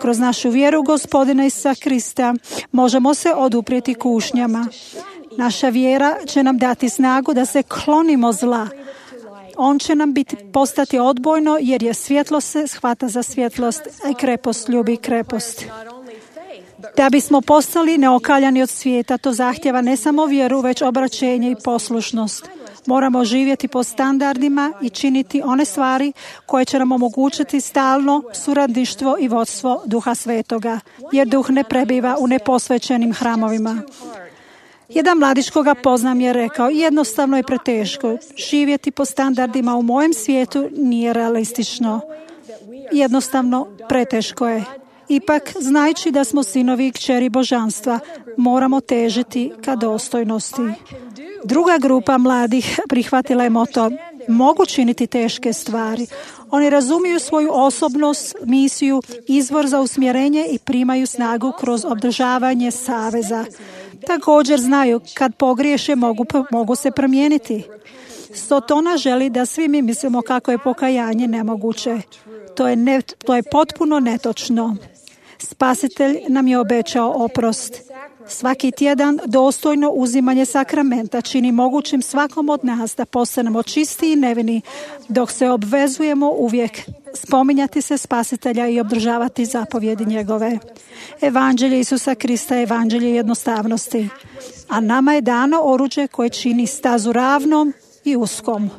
Kroz našu vjeru Gospodina Isusa Krista možemo se oduprijeti kušnjama. Naša vjera će nam dati snagu da se klonimo zla. On će nam biti, postati odbojno, jer je svjetlo se shvata za svjetlost, a krepost ljubi krepost. Da bismo postali neokaljani od svijeta, to zahtjeva ne samo vjeru, već obraćenje i poslušnost. Moramo živjeti po standardima i činiti one stvari koje će nam omogućiti stalno suradništvo i vodstvo Duha Svetoga, jer Duh ne prebiva u neposvećenim hramovima. Jedan mladić koga poznam je rekao: jednostavno je preteško. Živjeti po standardima u mojem svijetu nije realistično. Jednostavno preteško je. Ipak, znajući da smo sinovi i kćeri božanstva, moramo težiti ka dostojnosti. Druga grupa mladih prihvatila je moto: mogu činiti teške stvari. Oni razumiju svoju osobnost, misiju, izvor za usmjerenje i primaju snagu kroz održavanje saveza. Također znaju kad pogriješe mogu, mogu se promijeniti. Sotona želi da svi mi mislimo kako je pokajanje nemoguće. To je, ne, to je potpuno netočno. Spasitelj nam je obećao oprost. Svaki tjedan dostojno uzimanje sakramenta čini mogućim svakom od nas da postanemo čisti i nevini, dok se obvezujemo uvijek spominjati se Spasitelja i obdržavati zapovjedi njegove. Evanđelje Isusa Krista je evanđelje jednostavnosti, a nama je dano oruđe koje čini stazu ravnom i uskom.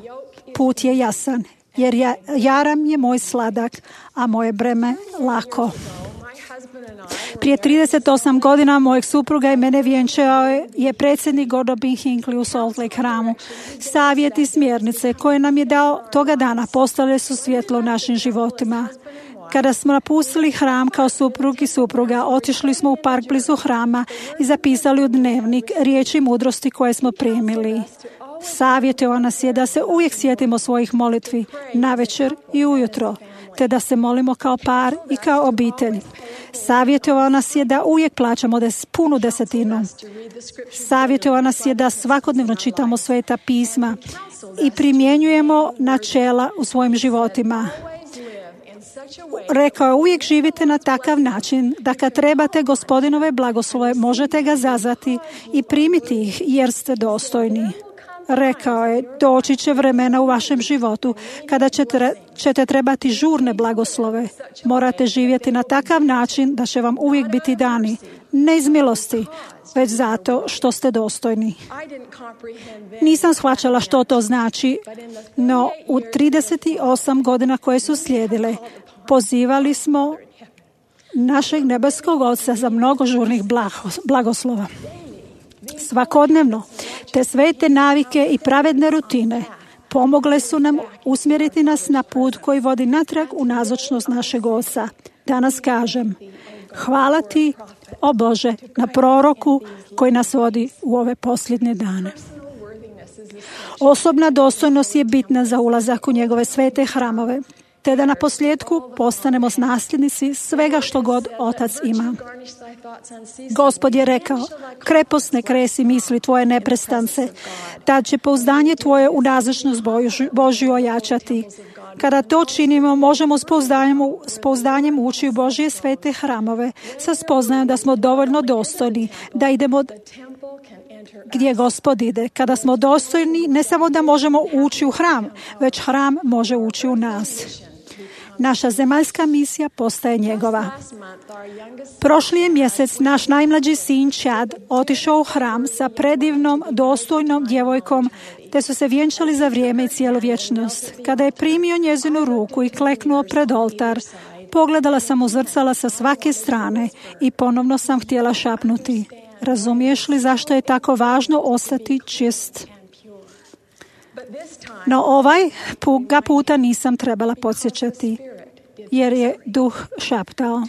Put je jasan, jer ja, jaram je moj sladak, a moje breme lako. Prije trideset osam godina mojeg supruga i mene vjenčao je predsjednik Godobin Hinckley u Salt Lake hramu. Savjeti i smjernice koje nam je dao toga dana postale su svjetlo u našim životima. Kada smo napustili hram kao suprug i supruga, otišli smo u park blizu hrama i zapisali u dnevnik riječi mudrosti koje smo primili. Savjetovao nas je da se uvijek sjetimo svojih molitvi, navečer i ujutro, te da se molimo kao par i kao obitelj. Savjetovao nas je da uvijek plaćamo des, punu desetinu. Savjetovao nas je da svakodnevno čitamo sveta pisma i primjenjujemo načela u svojim životima. Rekao je: uvijek živite na takav način da kad trebate Gospodinove blagoslove možete ga zazvati i primiti ih jer ste dostojni. Rekao je: doći će vremena u vašem životu kada ćete, ćete trebati žurne blagoslove. Morate živjeti na takav način da će vam uvijek biti dani, ne iz milosti, već zato što ste dostojni. Nisam shvaćala što to znači, no u trideset osam godina koje su slijedile, pozivali smo našeg nebeskog Oca za mnogo žurnih blagoslova. Svakodnevno, te svete navike i pravedne rutine pomogle su nam usmjeriti nas na put koji vodi natrag u nazočnost našeg Oca. Danas kažem: hvala ti, o Bože, na proroku koji nas vodi u ove posljednje dane. Osobna dostojnost je bitna za ulazak u njegove svete hramove, te da na posljedku postanemo nasljednici svega što god Otac ima. Gospod je rekao: krepost ne kresi misli tvoje neprestance, tad će pouzdanje tvoje u nazočnost Božju ojačati. Kada to činimo, možemo s pouzdanjem, s pouzdanjem ući u Božje svete hramove, sa spoznajom da smo dovoljno dostojni, da idemo gdje Gospod ide. Kada smo dostojni, ne samo da možemo ući u hram, već hram može ući u nas. Naša zemaljska misija postaje njegova. Prošli je mjesec naš najmlađi sin Chad otišao u hram sa predivnom, dostojnom djevojkom, te su se vjenčali za vrijeme i cijelu vječnost. Kada je primio njezinu ruku i kleknuo pred oltar, pogledala sam u zrcala sa svake strane i ponovno sam htjela šapnuti: razumiješ li zašto je tako važno ostati čist? No ovaj ga puta nisam trebala podsjećati, jer je duh šaptao: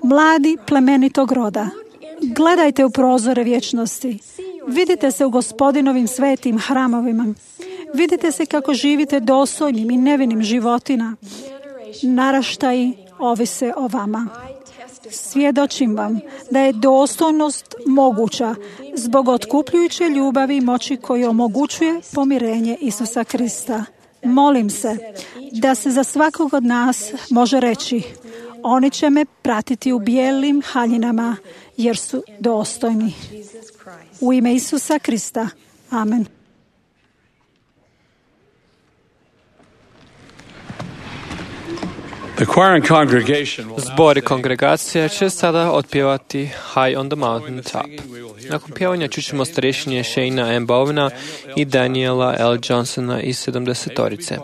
mladi plemenitog roda, gledajte u prozore vječnosti. Vidite se u Gospodinovim svetim hramovima. Vidite se kako živite dostojnim i nevinim životima. Naraštaji ovise o vama. Svjedočim vam da je dostojnost moguća zbog otkupljujuće ljubavi i moći koju omogućuje pomirenje Isusa Krista. Molim se da se za svakog od nas može reći: oni će me pratiti u bijelim haljinama jer su dostojni. U ime Isusa Krista. Amen.
Zbor i kongregacija će sada otpjevati High on the Mountain Top. Nakon pjevanja čućemo starješinje Shayna M. Bowena i Daniela L. Johnsona iz sedamdesetorice.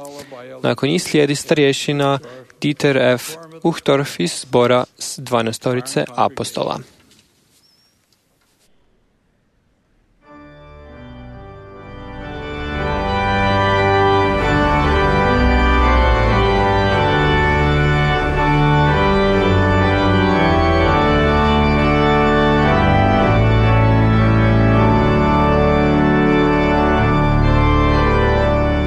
Nakon njih slijedi starješina Dieter F. Uchtdorf iz zbora s dvanaestorice apostola.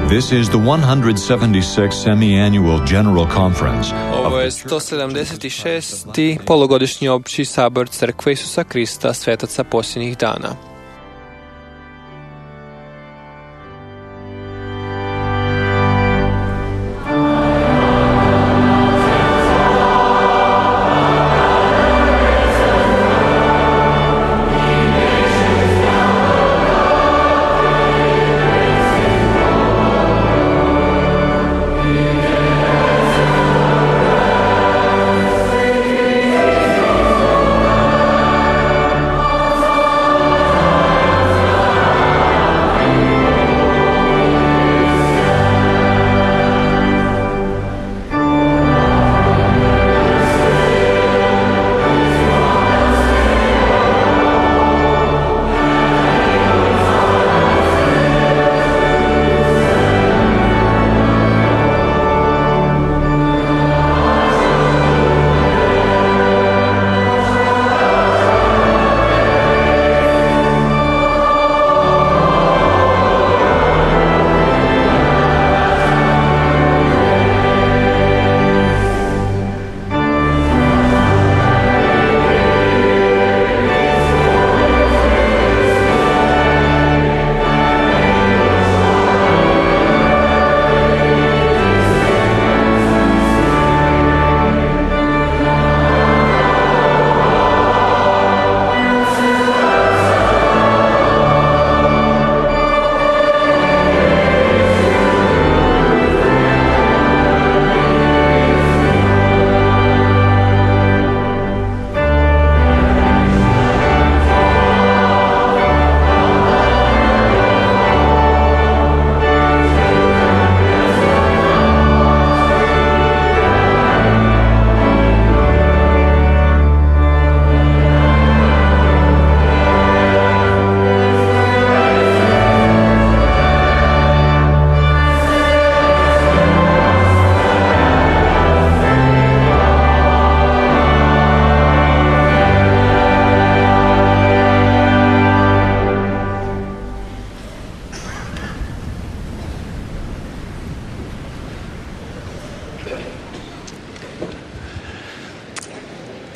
This is the one hundred seventy-sixth Semi-Annual General Conference.
Ovo je sto sedamdeset šesti polugodišnji opći sabor Crkve Isusa Krista svetaca posljednjih dana.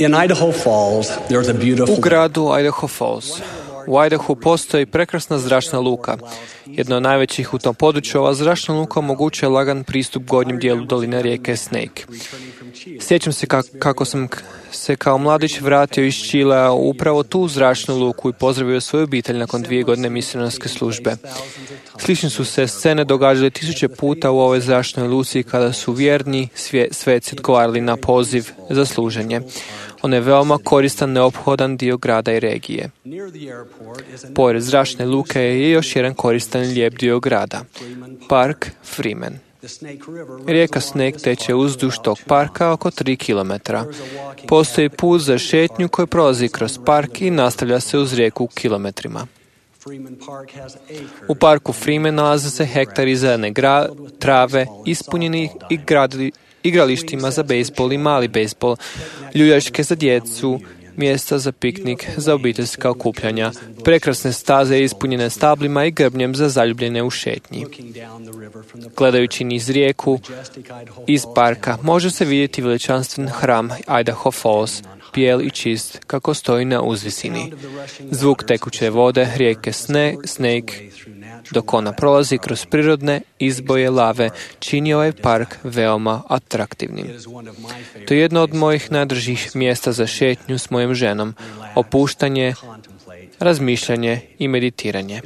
In Idaho Falls, there's a beautiful...
U gradu Idaho Falls, U Idahu postoji prekrasna zračna luka. Jedna od najvećih u tom području, ova zračna luka omogućuje lagan pristup gornjem dijelu doline rijeke Snake. Sjećam se kako sam se kao mladić vratio iz Čilea upravo tu zračnu luku i pozdravio svoju obitelj nakon dvije godine misionarske službe. Slične su se scene događale tisuće puta u ovoj zračnoj luci kada su vjerni sveci odgovarali na poziv za služenje. On je veoma koristan, neophodan dio grada i regije. Pored zračne luke je još jedan koristan lijep dio grada. Park Freeman. Rijeka Snake teče uzduž tog parka oko tri kilometra. Postoji put za šetnju koji prolazi kroz park i nastavlja se uz rijeku kilometrima. U parku Freeman nalaze se hektari zelene gra, trave, ispunjeni i gradili, igralištima za bejsbol i mali bejsbol, ljuljačke za djecu, mjesta za piknik, za obiteljska okupljanja, prekrasne staze ispunjene stablima i grbnjem za zaljubljene u šetnji. Gledajući niz rijeku iz parka može se vidjeti veličanstven hram Idaho Falls, bijel i čist, kako stoji na uzvisini. Zvuk tekuće vode rijeke Snake, dok ona prolazi kroz prirodne izboje lave, čini ovaj park veoma atraktivnim. To je jedno od mojih najdražih mjesta za šetnju s mojom ženom, opuštanje, razmišljanje i meditiranje.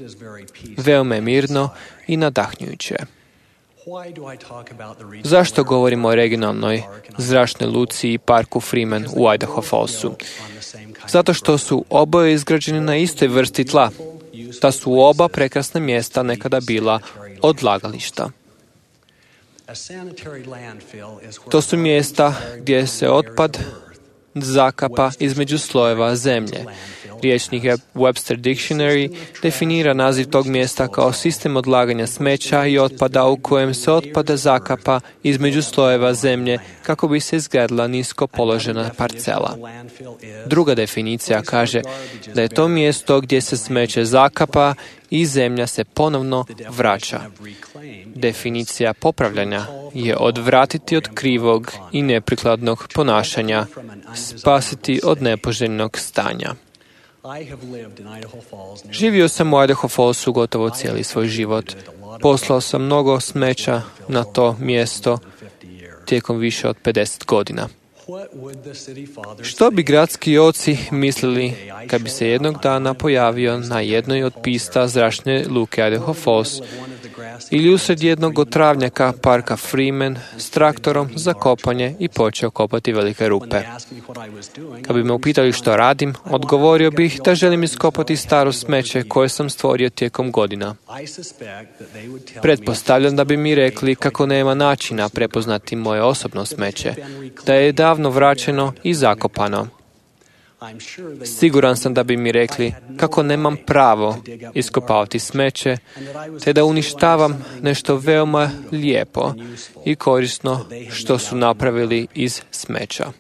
Veoma je mirno i nadahnjujuće. Zašto govorimo o regionalnoj zračnoj luci i parku Freeman u Idaho Fallsu? Zato što su oboje izgrađeni na istoj vrsti tla. Ta su oba prekrasna mjesta nekada bila odlagališta. To su mjesta gdje se otpad zakapa između slojeva zemlje. Riječnik Webster Dictionary definira naziv tog mjesta kao sistem odlaganja smeća i otpada u kojem se otpada zakapa između slojeva zemlje kako bi se izgradila nisko položena parcela. Druga definicija kaže da je to mjesto gdje se smeće zakapa i zemlja se ponovno vraća. Definicija popravljanja je odvratiti od krivog i neprikladnog ponašanja, spasiti od nepoželjnog stanja. Živio sam u Idaho Fallsu gotovo cijeli svoj život. Poslao sam mnogo smeća na to mjesto tijekom više od pedeset godina. Što bi gradski oci mislili kad bi se jednog dana pojavio na jednoj od pista zračne luke Idaho Falls ili usred jednog od travnjaka parka Freeman s traktorom za kopanje i počeo kopati velike rupe. Kad bi me upitali što radim, odgovorio bih da želim iskopati staro smeće koje sam stvorio tijekom godina. Pretpostavljam da bi mi rekli kako nema načina prepoznati moje osobno smeće, da je davno vraćeno i zakopano. Siguran sam da bi mi rekli kako nemam pravo iskopavati smeće, te da uništavam nešto veoma lijepo i korisno što su napravili iz smeća.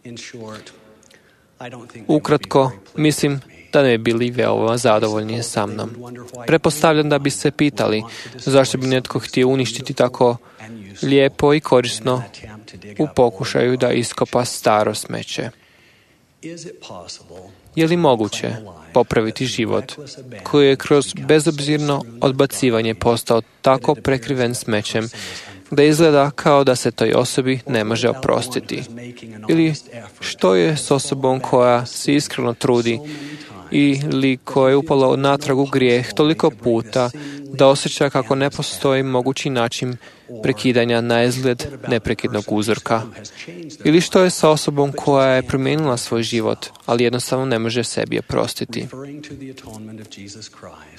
Ukratko, mislim da ne bi bili veoma zadovoljni sa mnom. Pretpostavljam da bi se pitali zašto bi netko htio uništiti tako lijepo i korisno u pokušaju da iskopa staro smeće. Je li moguće popraviti život koji je kroz bezobzirno odbacivanje postao tako prekriven smećem da izgleda kao da se toj osobi ne može oprostiti? Ili što je s osobom koja se iskreno trudi ili koja je upala natrag u grijeh toliko puta da osjeća kako ne postoji mogući način prekidanja na izgled neprekidnog uzorka? Ili što je sa osobom koja je promijenila svoj život, ali jednostavno ne može sebi oprostiti?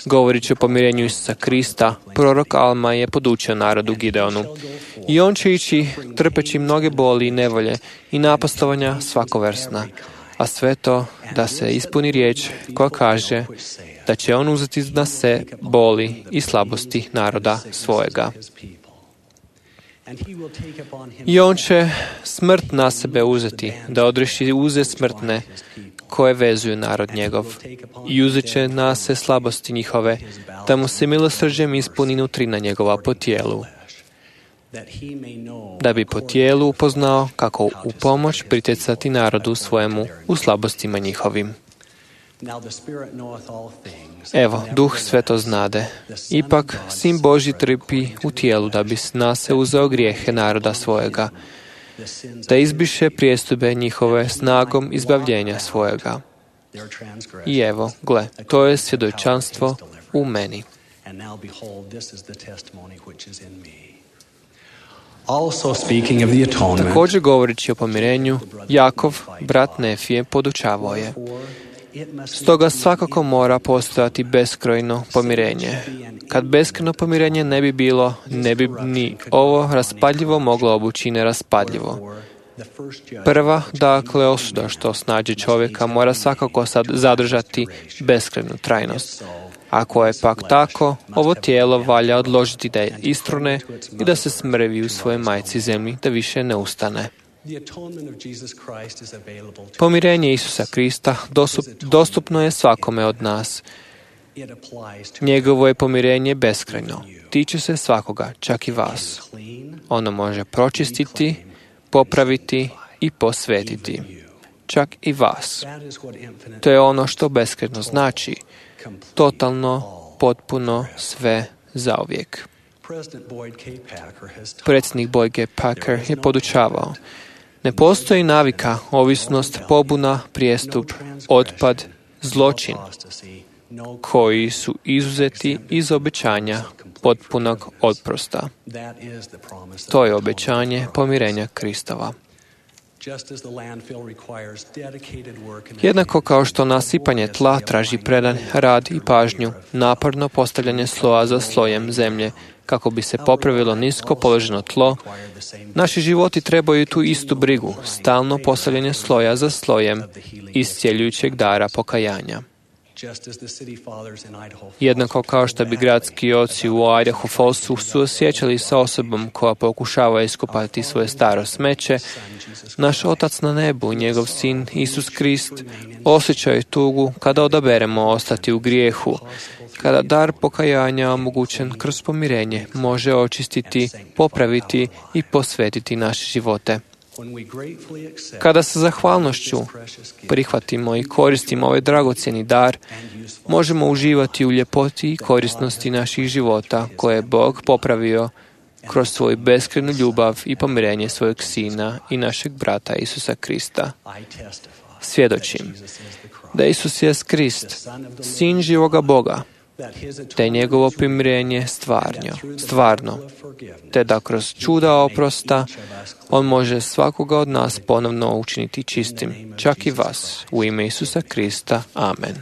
Govoreći o pomirenju Isusa Krista, prorok Alma je podučio narodu Gideonu. I on će ići trpeći mnoge boli i nevolje i napastovanja svakovrsna, a sve to da se ispuni riječ koja kaže da će on uzeti na se boli i slabosti naroda svojega. I on će smrt na sebe uzeti, da odreši uze smrtne koje vezuju narod njegov. I uzet će na se slabosti njihove, da mu se milosrđem ispuni nutrina njegova po tijelu, da bi po tijelu upoznao kako u pomoć pritjecati narodu svojemu u slabostima njihovim. Evo, Duh sve to znade. Ipak, Sin Božji trpi u tijelu da bi s nas se uzeo grijehe naroda svojega, da izbiše prijestupe njihove snagom izbavljenja svojega. I evo, gle, to je svjedočanstvo u meni. Također govoreći o pomirenju, Jakov, brat Nefije, podučavao je: stoga svakako mora postojati beskrojno pomirenje. Kad beskrojno pomirenje ne bi bilo, ne bi ni ovo raspadljivo moglo obući neraspadljivo. Prva, dakle, osuda što snađe čovjeka mora svakako sad zadržati beskrajnu trajnost. Ako je pak tako, ovo tijelo valja odložiti da je istrune i da se smrvi u svojoj majci zemlji, da više ne ustane. Pomirenje Isusa Krista dostupno je svakome od nas. Njegovo je pomirenje beskrajno. Tiče se svakoga, čak i vas. Ono može pročistiti, popraviti i posvetiti. Čak i vas. To je ono što beskrajno znači. Totalno, potpuno, sve, zauvijek. Predsjednik Boyd K. Packer je podučavao: ne postoji navika, ovisnost, pobuna, prijestup, otpad, zločin, koji su izuzeti iz obećanja potpunog oprosta. To je obećanje pomirenja Kristova. Jednako kao što nasipanje tla traži predan rad i pažnju, naporno postavljanje sloja za slojem zemlje, kako bi se popravilo nisko položeno tlo, naši životi trebaju tu istu brigu, stalno postavljanje sloja za slojem iscjeljujućeg dara pokajanja. Jednako kao što bi gradski oci u Idaho Fallsu suosjećali sa osobom koja pokušava iskopati svoje staro smeće, naš Otac na nebu i njegov Sin Isus Krist osjećaju tugu kada odaberemo ostati u grijehu, kada dar pokajanja omogućen kroz pomirenje može očistiti, popraviti i posvetiti naše živote. Kada sa zahvalnošću prihvatimo i koristimo ovaj dragocjeni dar, možemo uživati u ljepoti i korisnosti naših života koje je Bog popravio kroz svoju beskrajnu ljubav i pomirenje svojeg Sina i našeg brata Isusa Krista. Svjedočim da Isus je Krist, Sin živoga Boga, te njegovo pomirenje stvarno, stvarno, te da kroz čuda oprosta on može svakoga od nas ponovno učiniti čistim, čak i vas, u ime Isusa Krista. Amen.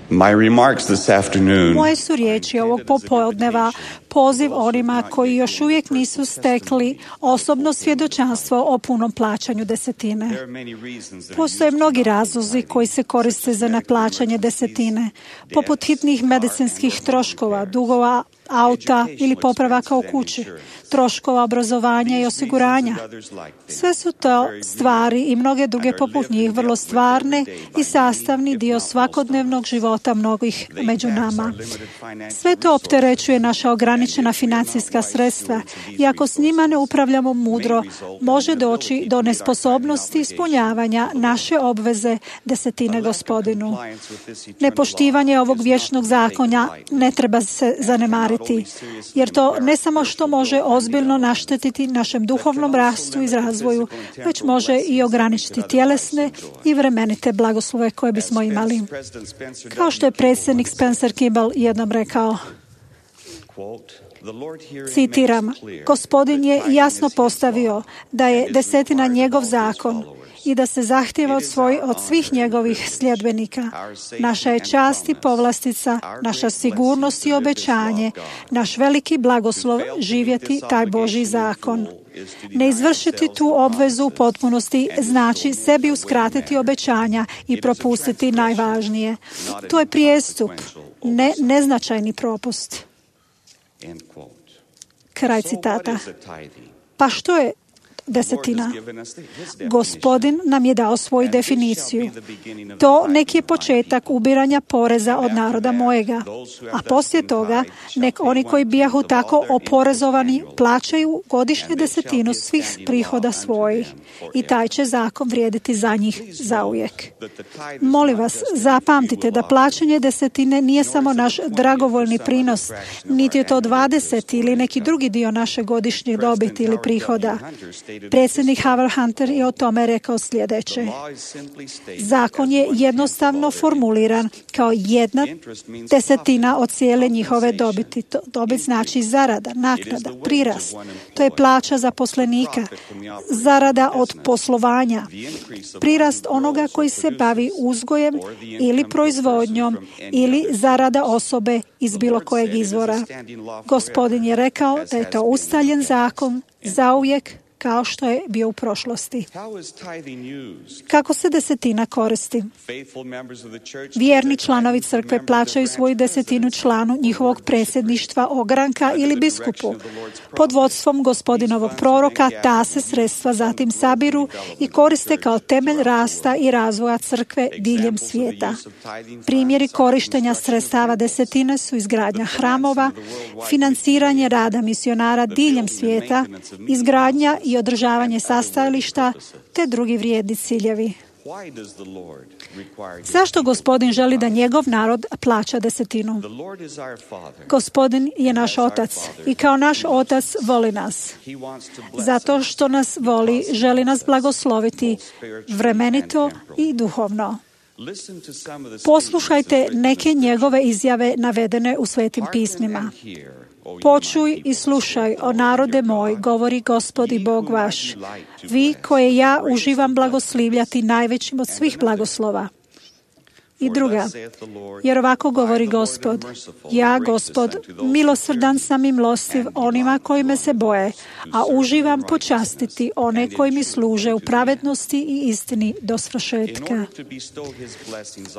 My remarks this afternoon
Moje su riječi ovog popodneva poziv onima koji još uvijek nisu stekli osobno svjedočanstvo o punom plaćanju desetine. Postoje mnogi razlozi koji se koriste za neplaćanje desetine, poput hitnih medicinskih troškova, dugova auta ili popravaka u kući, troškova obrazovanja i osiguranja. Sve su to stvari i mnoge druge poput njih vrlo stvarne i sastavni dio svakodnevnog života mnogih među nama. Sve to opterećuje naša ograničena financijska sredstva i ako s njima ne upravljamo mudro, može doći do nesposobnosti ispunjavanja naše obveze desetine Gospodinu. Nepoštivanje ovog vječnog zakonja ne treba se zanemariti, jer to ne samo što može ozbiljno naštetiti našem duhovnom rastu i razvoju, već može i ograničiti tjelesne i vremenite blagoslove koje bismo imali. Kao što je predsjednik Spencer Kimball jednom rekao, citiram, Gospodin je jasno postavio da je desetina njegov zakon i da se zahtjeva od, svoj, od svih njegovih sljedbenika. Naša je čast i povlastica, naša sigurnost i obećanje, naš veliki blagoslov živjeti taj Božji zakon. Ne izvršiti tu obvezu u potpunosti znači sebi uskratiti obećanja i propustiti najvažnije. To je prijestup, ne neznačajni propust. Kraj citata. Pa što je desetina. Gospodin nam je dao svoju definiciju. To nek je početak ubiranja poreza od naroda mojega, a poslije toga nek oni koji bijahu tako oporezovani plaćaju godišnju desetinu svih prihoda svojih i taj će zakon vrijediti za njih zauvijek. Molim vas, zapamtite da plaćanje desetine nije samo naš dragovoljni prinos, niti je to dvadeset ili neki drugi dio naše godišnje dobiti ili prihoda. Predsjednik Howard Hunter je o tome rekao sljedeće. Zakon je jednostavno formuliran kao jedna desetina od cijele njihove dobiti. To, dobit znači zarada, naknada, prirast. To je plaća zaposlenika, zarada od poslovanja, prirast onoga koji se bavi uzgojem ili proizvodnjom ili zarada osobe iz bilo kojeg izvora. Gospodin je rekao da je to ustaljen zakon zauvijek kao što je bio u prošlosti. Kako se desetina koristi? Vjerni članovi crkve plaćaju svoju desetinu članu njihovog predsjedništva, ogranka ili biskupu. Pod vodstvom gospodinovog proroka ta se sredstva zatim sabiru i koriste kao temelj rasta i razvoja crkve diljem svijeta. Primjeri korištenja sredstava desetine su izgradnja hramova, financiranje rada misionara diljem svijeta, izgradnja i održavanje sastajališta te drugi vrijedni ciljevi. Zašto Gospodin želi da njegov narod plaća desetinu? Gospodin je naš otac i kao naš otac voli nas. Zato što nas voli, želi nas blagosloviti vremenito i duhovno. Poslušajte neke njegove izjave navedene u Svetim pismima. Počuj i slušaj, o narode moj, govori Gospod i Bog vaš, vi koje ja uživam blagoslivljati najvećim od svih blagoslova. I druga, jer ovako govori Gospod, ja, Gospod, milosrdan sam i milostiv onima koji me se boje, a uživam počastiti one koji mi služe u pravednosti i istini do svršetka.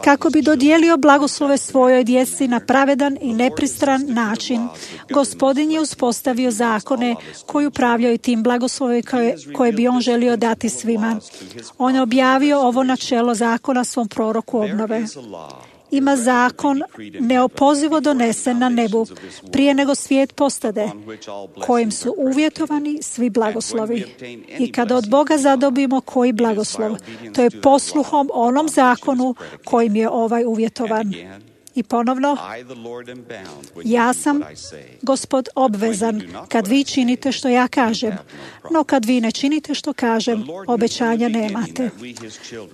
Kako bi dodijelio blagoslove svojoj djeci na pravedan i nepristran način, Gospodin je uspostavio zakone koji upravljaju tim blagoslovima koje, koje bi on želio dati svima. On je objavio ovo načelo zakona svom proroku obnove. Ima zakon neopozivo donesen na nebu prije nego svijet postade, kojim su uvjetovani svi blagoslovi. I kada od Boga zadobimo koji blagoslov, to je posluhom onom zakonu kojim je ovaj uvjetovan. I ponovno, ja sam, Gospod, obvezan kad vi činite što ja kažem, no kad vi ne činite što kažem, obećanja nemate.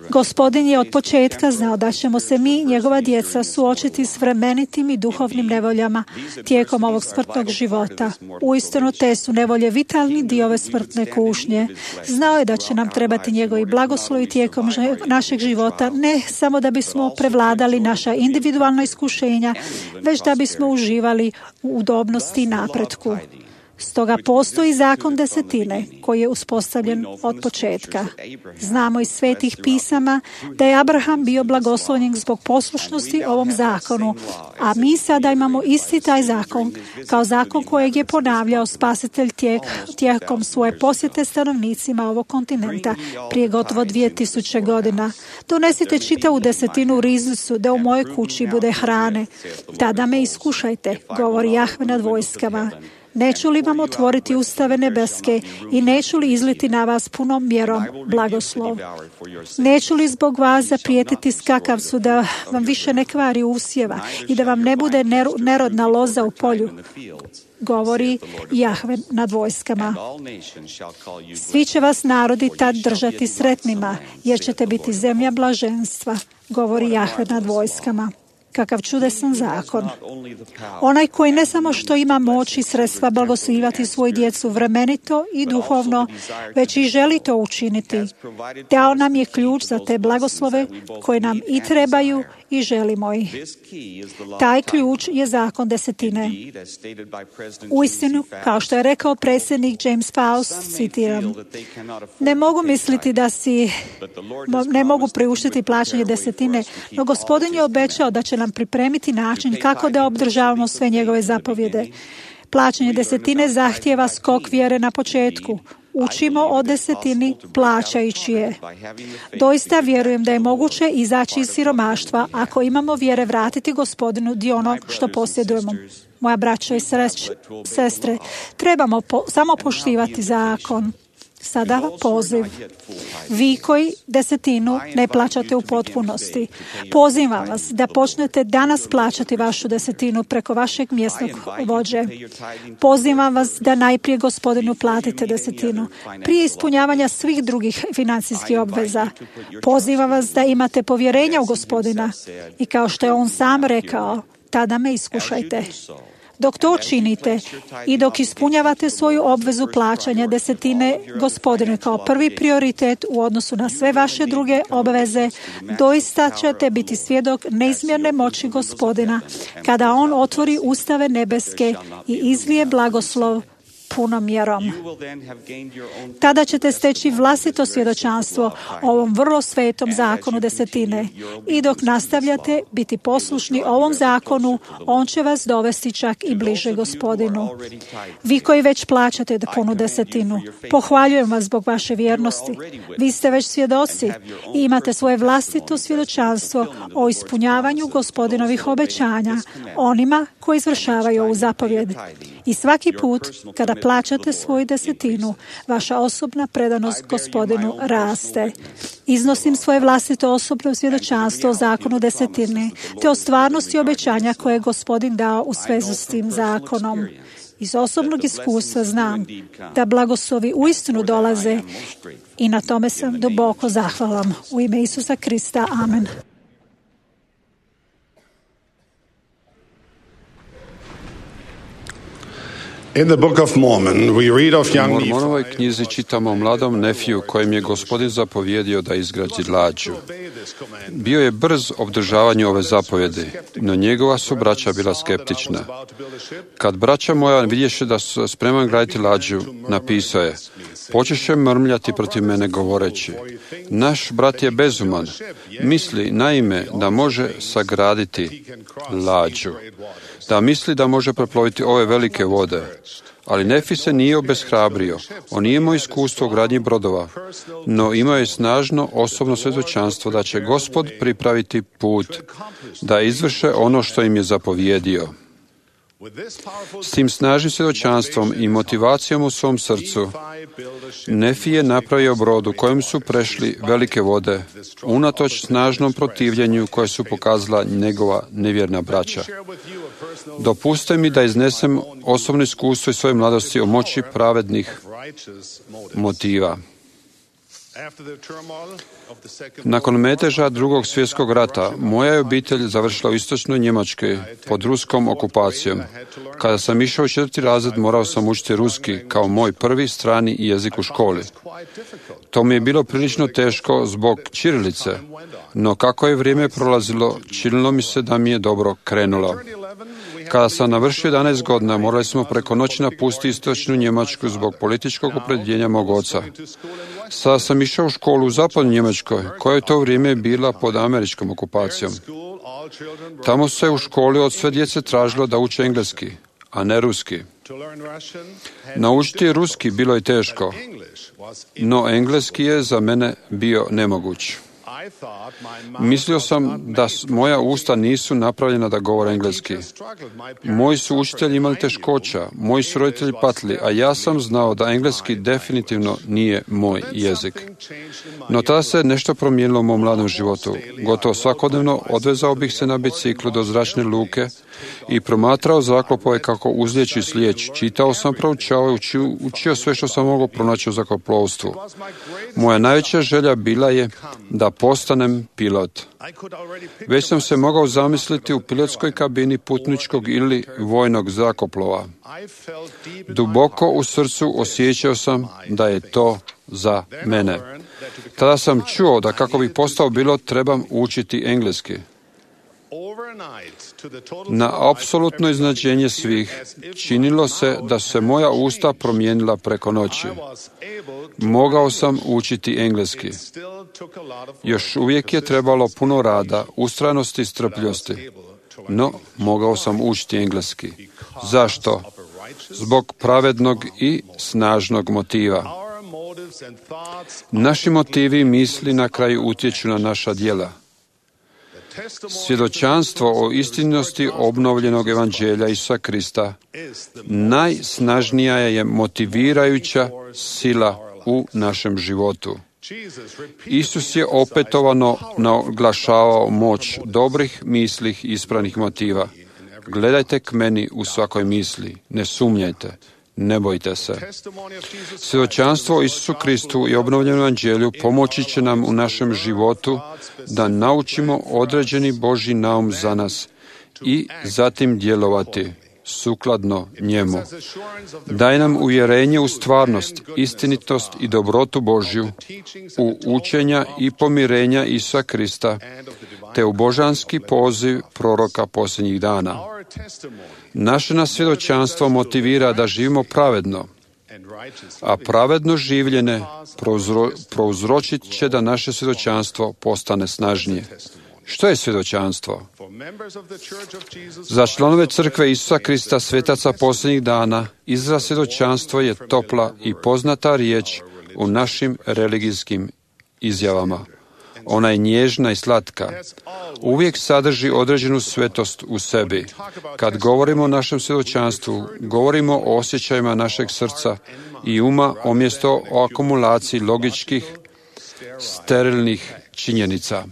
Gospodin je od početka znao da ćemo se mi, njegova djeca, suočiti s vremenitim i duhovnim nevoljama tijekom ovog smrtnog života. Uistinu te su nevolje vitalni dio ove smrtne kušnje. Znao je da će nam trebati njegovi blagoslovi tijekom našeg života, ne samo da bismo prevladali naša individualna iskušenja, već da bismo uživali u udobnosti i napretku. Stoga postoji zakon desetine koji je uspostavljen od početka. Znamo iz svetih pisama da je Abraham bio blagoslovljen zbog poslušnosti ovom zakonu, a mi sada imamo isti taj zakon kao zakon kojeg je ponavljao Spasitelj tijek, tijekom svoje posjete stanovnicima ovog kontinenta prije gotovo dvije tisuće godina. Donesite čitavu desetinu u riznicu da u mojoj kući bude hrane. Tada me iskušajte, govori Jahve nad vojskama. Neću li vam otvoriti ustave nebeske i neću li izliti na vas punom mjerom blagoslov? Neću li zbog vas zaprijetiti skakavcu da vam više ne kvari usjeva i da vam ne bude nerodna loza u polju? Govori Jahve nad vojskama. Svi će vas narodi tad držati sretnima, jer ćete biti zemlja blaženstva, govori Jahve nad vojskama. Kakav čudesan zakon. Onaj koji ne samo što ima moć i sredstva blagoslivati svoju djecu vremenito i duhovno, već i želi to učiniti. Dao nam je ključ za te blagoslove koje nam i trebaju i želimo ih. Taj ključ je zakon desetine. Uistinu, kao što je rekao predsjednik James Faust, citiram, ne mogu misliti da si, ne mogu priuštiti plaćanje desetine, no Gospodin je obećao da će nam pripremiti način kako da obdržavamo sve njegove zapovjede. Plaćanje desetine zahtijeva skok vjere na početku. učimo o desetini plaćajući je. Doista vjerujem da je moguće izaći iz siromaštva ako imamo vjere vratiti Gospodinu dio onog što posjedujemo. Moja braćo i sreć, sestre, trebamo po, samo poštivati zakon. Sada poziv. Vi koji desetinu ne plaćate u potpunosti, pozivam vas da počnete danas plaćati vašu desetinu preko vašeg mjesnog vođe. Pozivam vas da najprije Gospodinu platite desetinu, prije ispunjavanja svih drugih financijskih obveza. Pozivam vas da imate povjerenja u Gospodina i kao što je on sam rekao, tada me iskušajte. Dok to činite i dok ispunjavate svoju obvezu plaćanja desetine Gospodinu kao prvi prioritet u odnosu na sve vaše druge obveze, doista ćete biti svjedok neizmjerne moći Gospodina kada on otvori ustave nebeske i izlije blagoslov punom mjerom. Tada ćete steći vlastito svjedočanstvo o ovom vrlo svetom zakonu desetine i dok nastavljate biti poslušni ovom zakonu, on će vas dovesti čak i bliže Gospodinu. Vi koji već plaćate punu desetinu, pohvaljujem vas zbog vaše vjernosti. Vi ste već svjedoci i imate svoje vlastito svjedočanstvo o ispunjavanju Gospodinovih obećanja onima koji izvršavaju ovu zapovjed. I svaki put kada plaćate svoju desetinu, vaša osobna predanost Gospodinu raste. Iznosim svoje vlastito osobno svjedočanstvo o zakonu desetine, te o stvarnosti obećanja koje je Gospodin dao u svezu s tim zakonom. Iz osobnog iskustva znam da blagoslovi uistinu dolaze i na tome sam duboko zahvalan. U ime Isusa Krista. Amen.
In the Book of Mormon, we read of young
U Mormonovoj knjizi čitamo o mladom Nefiju kojem je Gospodin zapovjedio da izgradi lađu. Bio je brz obdržavanju ove zapovjedi, no njegova su braća bila skeptična. Kad braća moja vidješe da su spreman graditi lađu, napisao je: počeše mrmljati protiv mene govoreći: naš brat je bezuman, misli naime da može sagraditi lađu, da misli da može preploviti ove velike vode. Ali Nefi se nije obeshrabrio. On nije imao iskustvo u gradnji brodova, no imao je snažno osobno svjedočanstvo da će Gospod pripraviti put, da izvrše ono što im je zapovjedio. S tim snažnim svjedočanstvom i motivacijom u svom srcu, Nefi je napravio brod u kojem su prešli velike vode, unatoč snažnom protivljenju koje su pokazala njegova nevjerna braća. Dopustite mi da iznesem osobno iskustvo iz svoje mladosti o moći pravednih motiva. Nakon meteža drugog svjetskog rata, moja je obitelj završila u istočnoj Njemačkoj pod ruskom okupacijom. Kada sam išao u četvrti razred, morao sam učiti ruski kao moj prvi strani jezik u školi. To mi je bilo prilično teško zbog ćirilice, no kako je vrijeme prolazilo, činilo mi se da mi je dobro krenulo. Kada sam navršio jedanaest godina, morali smo preko noći napustiti istočnu Njemačku zbog političkog opredjeljenja mog oca. Sada sam išao u školu u zapadnoj Njemačkoj, koja je to vrijeme bila pod američkom okupacijom. Tamo se u školi od sve djece tražilo da uče engleski, a ne ruski. Naučiti ruski bilo je teško, no engleski je za mene bio nemoguć. Mislio sam da moja usta nisu napravljena da govore engleski. Moji su učitelji imali teškoća, moji su roditelji patili, a ja sam znao da engleski definitivno nije moj jezik. No tada se nešto promijenilo u mom mladom životu. Gotovo svakodnevno odvezao bih se na biciklu do zračne luke i promatrao zrakoplove kako uzlijeću i slijeću. Čitao sam, proučavao i učio, učio sve što sam mogao pronaći u zrakoplovstvu. Moja najveća želja bila je da postanem pilot. Već sam se mogao zamisliti u pilotskoj kabini putničkog ili vojnog zrakoplova. Duboko u srcu osjećao sam da je to za mene. Tada sam čuo da kako bih postao pilot trebam učiti engleski. Na apsolutno iznenađenje svih, činilo se da su se moja usta promijenila preko noći. Mogao sam učiti engleski. Još uvijek je trebalo puno rada, ustrajnosti i strpljosti, no mogao sam učiti engleski. Zašto? Zbog pravednog i snažnog motiva. Naši motivi i misli na kraju utječu na naša djela. Svjedočanstvo o istinnosti obnovljenog evanđelja Isusa Krista najsnažnija je motivirajuća sila u našem životu. Isus je opetovano naglašavao moć dobrih misli i ispravnih motiva. Gledajte k meni u svakoj misli, ne sumnjajte, ne bojte se. Svjedočanstvo o Isusu Kristu i obnovljenom evanđelju pomoći će nam u našem životu da naučimo određeni Božji naum za nas i zatim djelovati sukladno njemu. Daj nam uvjerenje u stvarnost, istinitost i dobrotu Božju, u učenja i pomirenja Isusa Krista, te u božanski poziv proroka posljednjih dana. Naše nas svjedočanstvo motivira da živimo pravedno, a pravedno življenje prouzro, prouzročit će da naše svjedočanstvo postane snažnije. Što je svjedočanstvo? Za članove crkve Isusa Krista, svetaca posljednjih dana, izraz svjedočanstvo je topla i poznata riječ u našim religijskim izjavama. Ona je nježna i slatka. Uvijek sadrži određenu svetost u sebi. Kad govorimo o našem svjedočanstvu, govorimo o osjećajima našeg srca i uma umjesto o akumulaciji logičkih, sterilnih činjenica.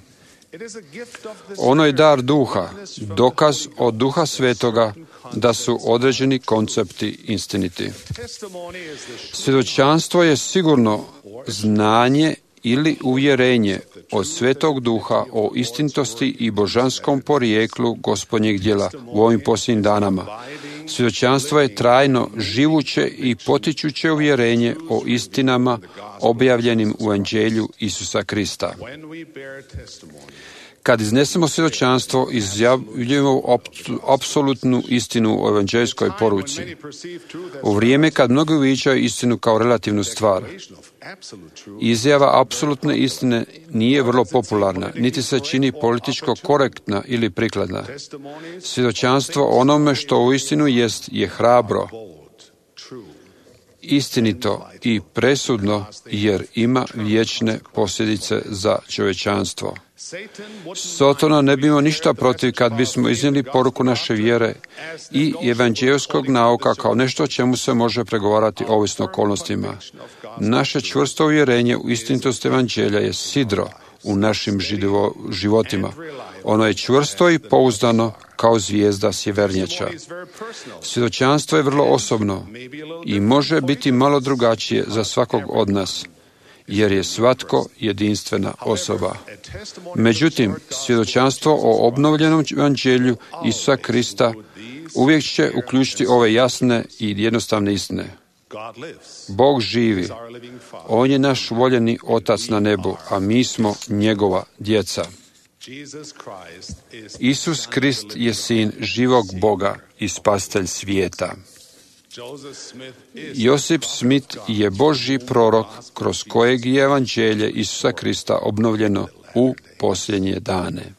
Ono je dar duha, dokaz od duha svetoga da su određeni koncepti istiniti. Svjedočanstvo je sigurno znanje ili uvjerenje od Svetog Duha o istinitosti i božanskom porijeklu Gospodnjeg djela u ovim posljednjim danama. Svjedočanstvo je trajno, živuće i potičuće uvjerenje o istinama objavljenim u Evanđelju Isusa Krista. Kad iznesemo svjedočanstvo, izjavljujemo apsolutnu istinu o evanđeljskoj poruci. U vrijeme kad mnogi uviđaju istinu kao relativnu stvar, izjava apsolutne istine nije vrlo popularna, niti se čini političko korektna ili prikladna. Svjedočanstvo onome što u istinu jest je hrabro, istinito i presudno, jer ima vječne posljedice za čovječanstvo. Sotona ne bi imao ništa protiv kad bismo iznijeli poruku naše vjere i evanđeljskog nauka kao nešto o čemu se može pregovarati ovisno okolnostima. Naše čvrsto uvjerenje u istinitost evanđelja je sidro u našim živo, životima. Ono je čvrsto i pouzdano kao zvijezda sjevernjača. Svjedočanstvo je vrlo osobno i može biti malo drugačije za svakog od nas, jer je svatko jedinstvena osoba. Međutim, svjedočanstvo o obnovljenom evanđelju Isusa Krista uvijek će uključiti ove jasne i jednostavne istine. Bog živi. On je naš voljeni Otac na nebu, a mi smo njegova djeca. Isus Krist je sin živog Boga i spasitelj svijeta. Josip Smith je Božji prorok kroz kojeg je evanđelje Isusa Krista obnovljeno u posljednje dane.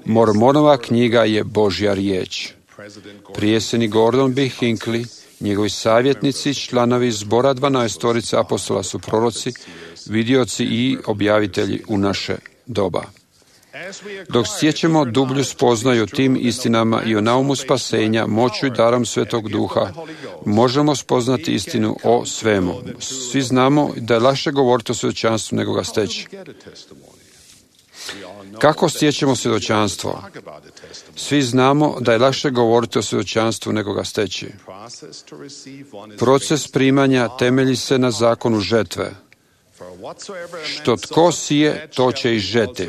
Mormonova knjiga je Božja riječ. Prijesednik Gordon B. Hinckley, njegovi savjetnici, članovi zbora dvanaestorice apostola su proroci, vidioci i objavitelji u naše doba. Dok stječemo dublju spoznaju tim istinama i o naumu spasenja, moću i darom Svetog Duha, možemo spoznati istinu o svemu. Svi znamo da je lakše govoriti o svjedočanstvu nego ga steći. Kako stječemo svjedočanstvo? Svi znamo da je lakše govoriti o svjedočanstvu nego ga steći. Proces primanja temelji se na zakonu žetve. Što tko sije, to će i žeti.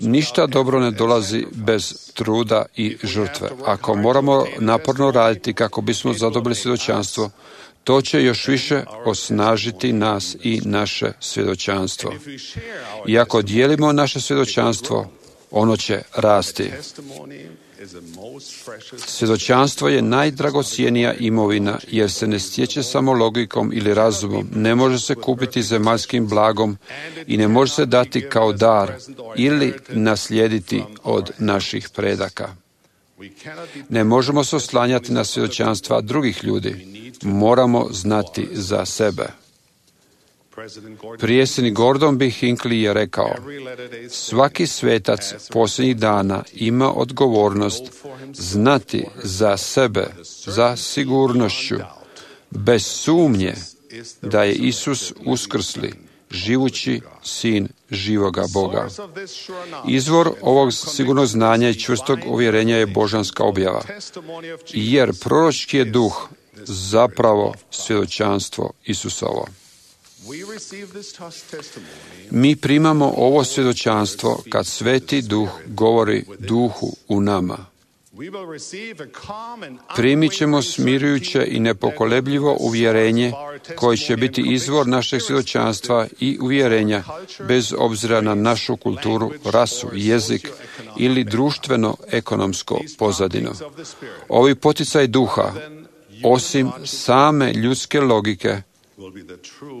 Ništa dobro ne dolazi bez truda i žrtve. Ako moramo naporno raditi kako bismo zadobili svjedočanstvo, to će još više osnažiti nas i naše svjedočanstvo. I ako dijelimo naše svjedočanstvo, ono će rasti. Svjedočanstvo je najdragocjenija imovina jer se ne stječe samo logikom ili razumom, ne može se kupiti zemaljskim blagom i ne može se dati kao dar ili naslijediti od naših predaka. Ne možemo se oslanjati na svjedočanstva drugih ljudi. moramo znati za sebe. Predsjednik Gordon B. Hinckley je rekao, svaki svetac posljednjih dana ima odgovornost znati za sebe, za sigurnošću, bez sumnje da je Isus uskrsli, živući sin živoga Boga. Izvor ovog sigurnog znanja i čvrstog uvjerenja je božanska objava, jer proročki je duh zapravo svjedočanstvo Isusovo. Mi primamo ovo svjedočanstvo kad Sveti Duh govori duhu u nama. Primit ćemo smirujuće i nepokolebljivo uvjerenje koje će biti izvor našeg svjedočanstva i uvjerenja bez obzira na našu kulturu, rasu, jezik ili društveno-ekonomsko pozadino. Ovi poticaj duha, osim same ljudske logike,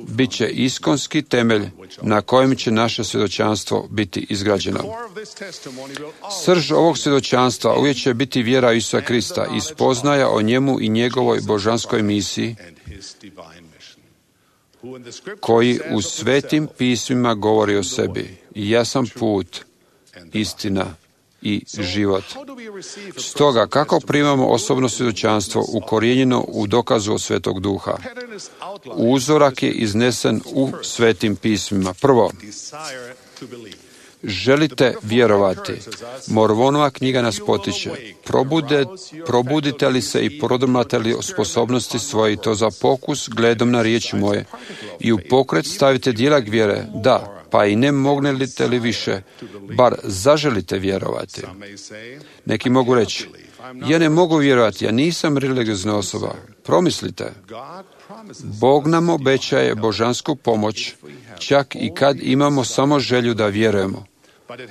bit će iskonski temelj na kojem će naše svjedočanstvo biti izgrađeno. Srž ovog svjedočanstva uvijek će biti vjera Isusa Krista i spoznaja o njemu i njegovoj božanskoj misiji, koji u svetim pismima govori o sebi. Ja sam put, istina i život. Stoga, kako primamo osobno svjedočanstvo ukorijenjeno u dokazu od Svetog Duha? Uzorak je iznesen u svetim pismima. Prvo, želite vjerovati. Mormonova knjiga nas potiče. Probude, probudite li se i prodrmate li sposobnosti svoje, to za pokus gledom na riječi moje, i u pokret stavite djela vjere, da, pa i ne mognete li više, bar zaželite vjerovati. Neki mogu reći, ja ne mogu vjerovati, ja nisam religiozna osoba. Promislite, Bog nam obećaje božansku pomoć, čak i kad imamo samo želju da vjerujemo.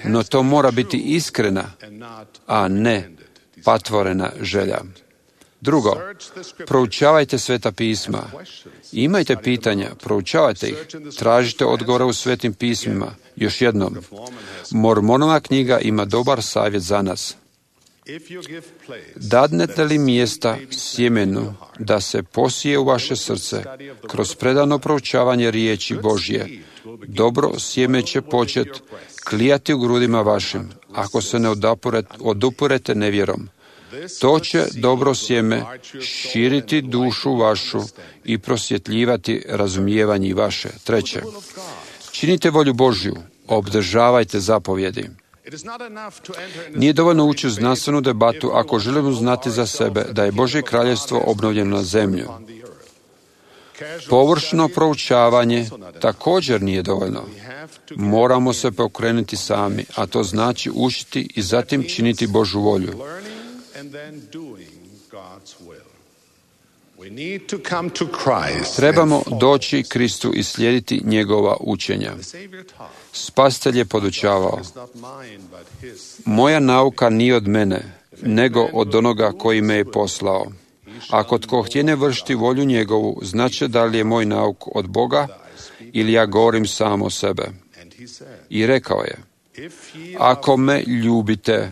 No to mora biti iskrena, a ne patvorena želja. Drugo, proučavajte Sveta pisma. Imajte pitanja, proučavajte ih, tražite odgovore u Svetim pismima. Još jednom, Mormonova knjiga ima dobar savjet za nas. Dadnete li mjesta sjemenu da se posije u vaše srce kroz predano proučavanje riječi Božje, dobro sjeme će početi klijati u grudima vašim, ako se ne odupurete nevjerom. To će dobro sjeme širiti dušu vašu i prosvjetljivati razumijevanje vaše. Treće, činite volju Božju, obdržavajte zapovjedi. Nije dovoljno ući u znanstvenu debatu ako želimo znati za sebe da je Božje kraljevstvo obnovljeno na zemlju. Površno proučavanje također nije dovoljno. Moramo se pokrenuti sami, a to znači učiti i zatim činiti Božju volju. Trebamo doći Kristu i slijediti njegova učenja. Spasitelj je podučavao, moja nauka nije od mene, nego od onoga koji me je poslao. Ako tko htjene vršiti volju njegovu, znači da li je moj nauk od Boga ili ja govorim sam o sebe. I rekao je, ako me ljubite,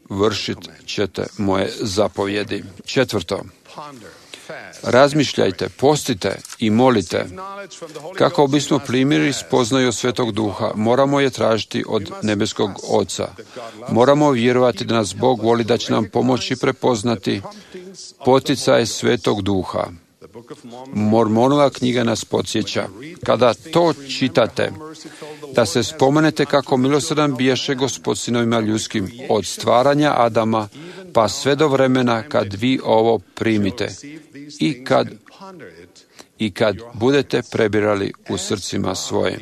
vršit ćete moje zapovjedi. Četvrto, razmišljajte, postite i molite. Kako bismo primili spoznaju od Svetog Duha, moramo je tražiti od nebeskog Oca. Moramo vjerovati da nas Bog voli, da će nam pomoći prepoznati poticaje Svetog Duha. Mormonova knjiga nas podsjeća, kada to čitate, da se spomenete kako milosrdan biješe Gospod sinovima ljudskim od stvaranja Adama pa sve do vremena kad vi ovo primite i kad, i kad budete prebirali u srcima svojim.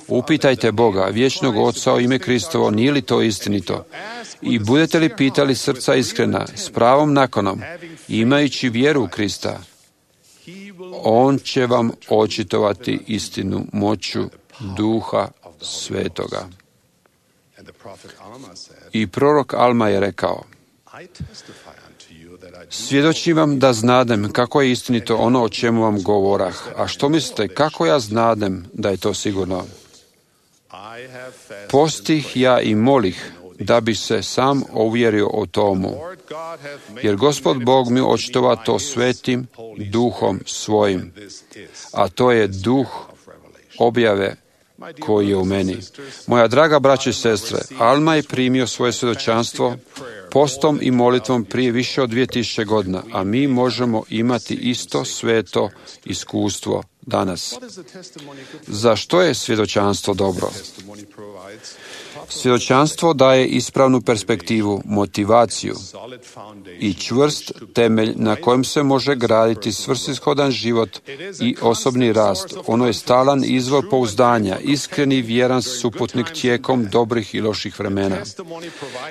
Upitajte Boga, vječnog Oca o ime Kristovo, nije li to istinito? I budete li pitali srca iskrena, s pravom nakonom, imajući vjeru u Krista, On će vam očitovati istinu moću Duha Svetoga. I prorok Alma je rekao, svjedočim vam da znadem kako je istinito ono o čemu vam govorah. A što mislite, kako ja znadem da je to sigurno? Postih ja i molih da bi se sam uvjerio o tomu. Jer Gospod Bog mi očitova to svetim duhom svojim, a to je duh objave koji je u meni. Moja draga braće i sestre, Alma je primio svoje svjedočanstvo postom i molitvom prije više od dvije tisuće godina, a mi možemo imati isto sveto iskustvo danas. Za što je svjedočanstvo dobro? Svjedočanstvo daje ispravnu perspektivu, motivaciju i čvrst temelj na kojem se može graditi svrsishodan život i osobni rast. Ono je stalan izvor pouzdanja, iskreni vjeran suputnik tijekom dobrih i loših vremena.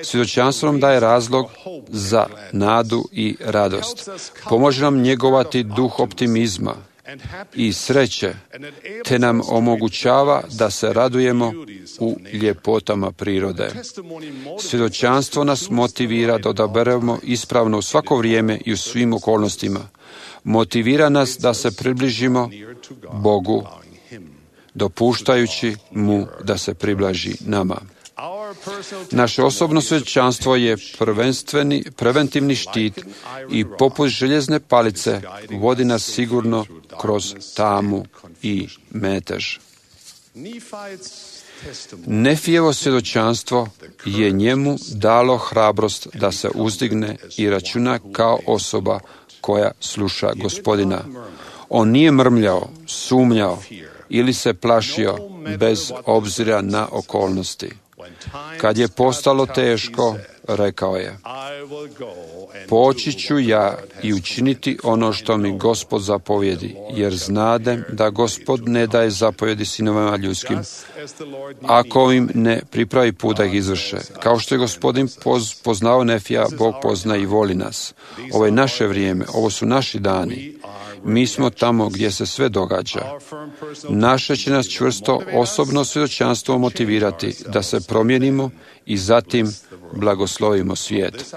Svjedočanstvo nam daje razlog za nadu i radost. Pomože nam njegovati duh optimizma i sreće, te nam omogućava da se radujemo u ljepotama prirode. Svjedočanstvo nas motivira da odaberemo ispravno u svako vrijeme i u svim okolnostima. Motivira nas da se približimo Bogu, dopuštajući mu da se približi nama. Naše osobno svjedočanstvo je prvenstveni, preventivni štit i poput željezne palice vodi nas sigurno kroz tamu i metež. Nefijevo svjedočanstvo je njemu dalo hrabrost da se uzdigne i računa kao osoba koja sluša Gospodina. On nije mrmljao, sumnjao ili se plašio bez obzira na okolnosti. Kad je postalo teško, rekao je: poći ću ja i učiniti ono što mi Gospod zapovjedi, jer znadem da Gospod ne daje zapovjedi sinovima ljudskim, ako im ne pripravi put da ih izvrše. Kao što je Gospodin poznao Nefija, Bog pozna i voli nas. Ovo je naše vrijeme, ovo su naši dani. Mi smo tamo gdje se sve događa. Naše će nas čvrsto osobno svjedočanstvo motivirati da se promijenimo i zatim blagoslovimo svijet.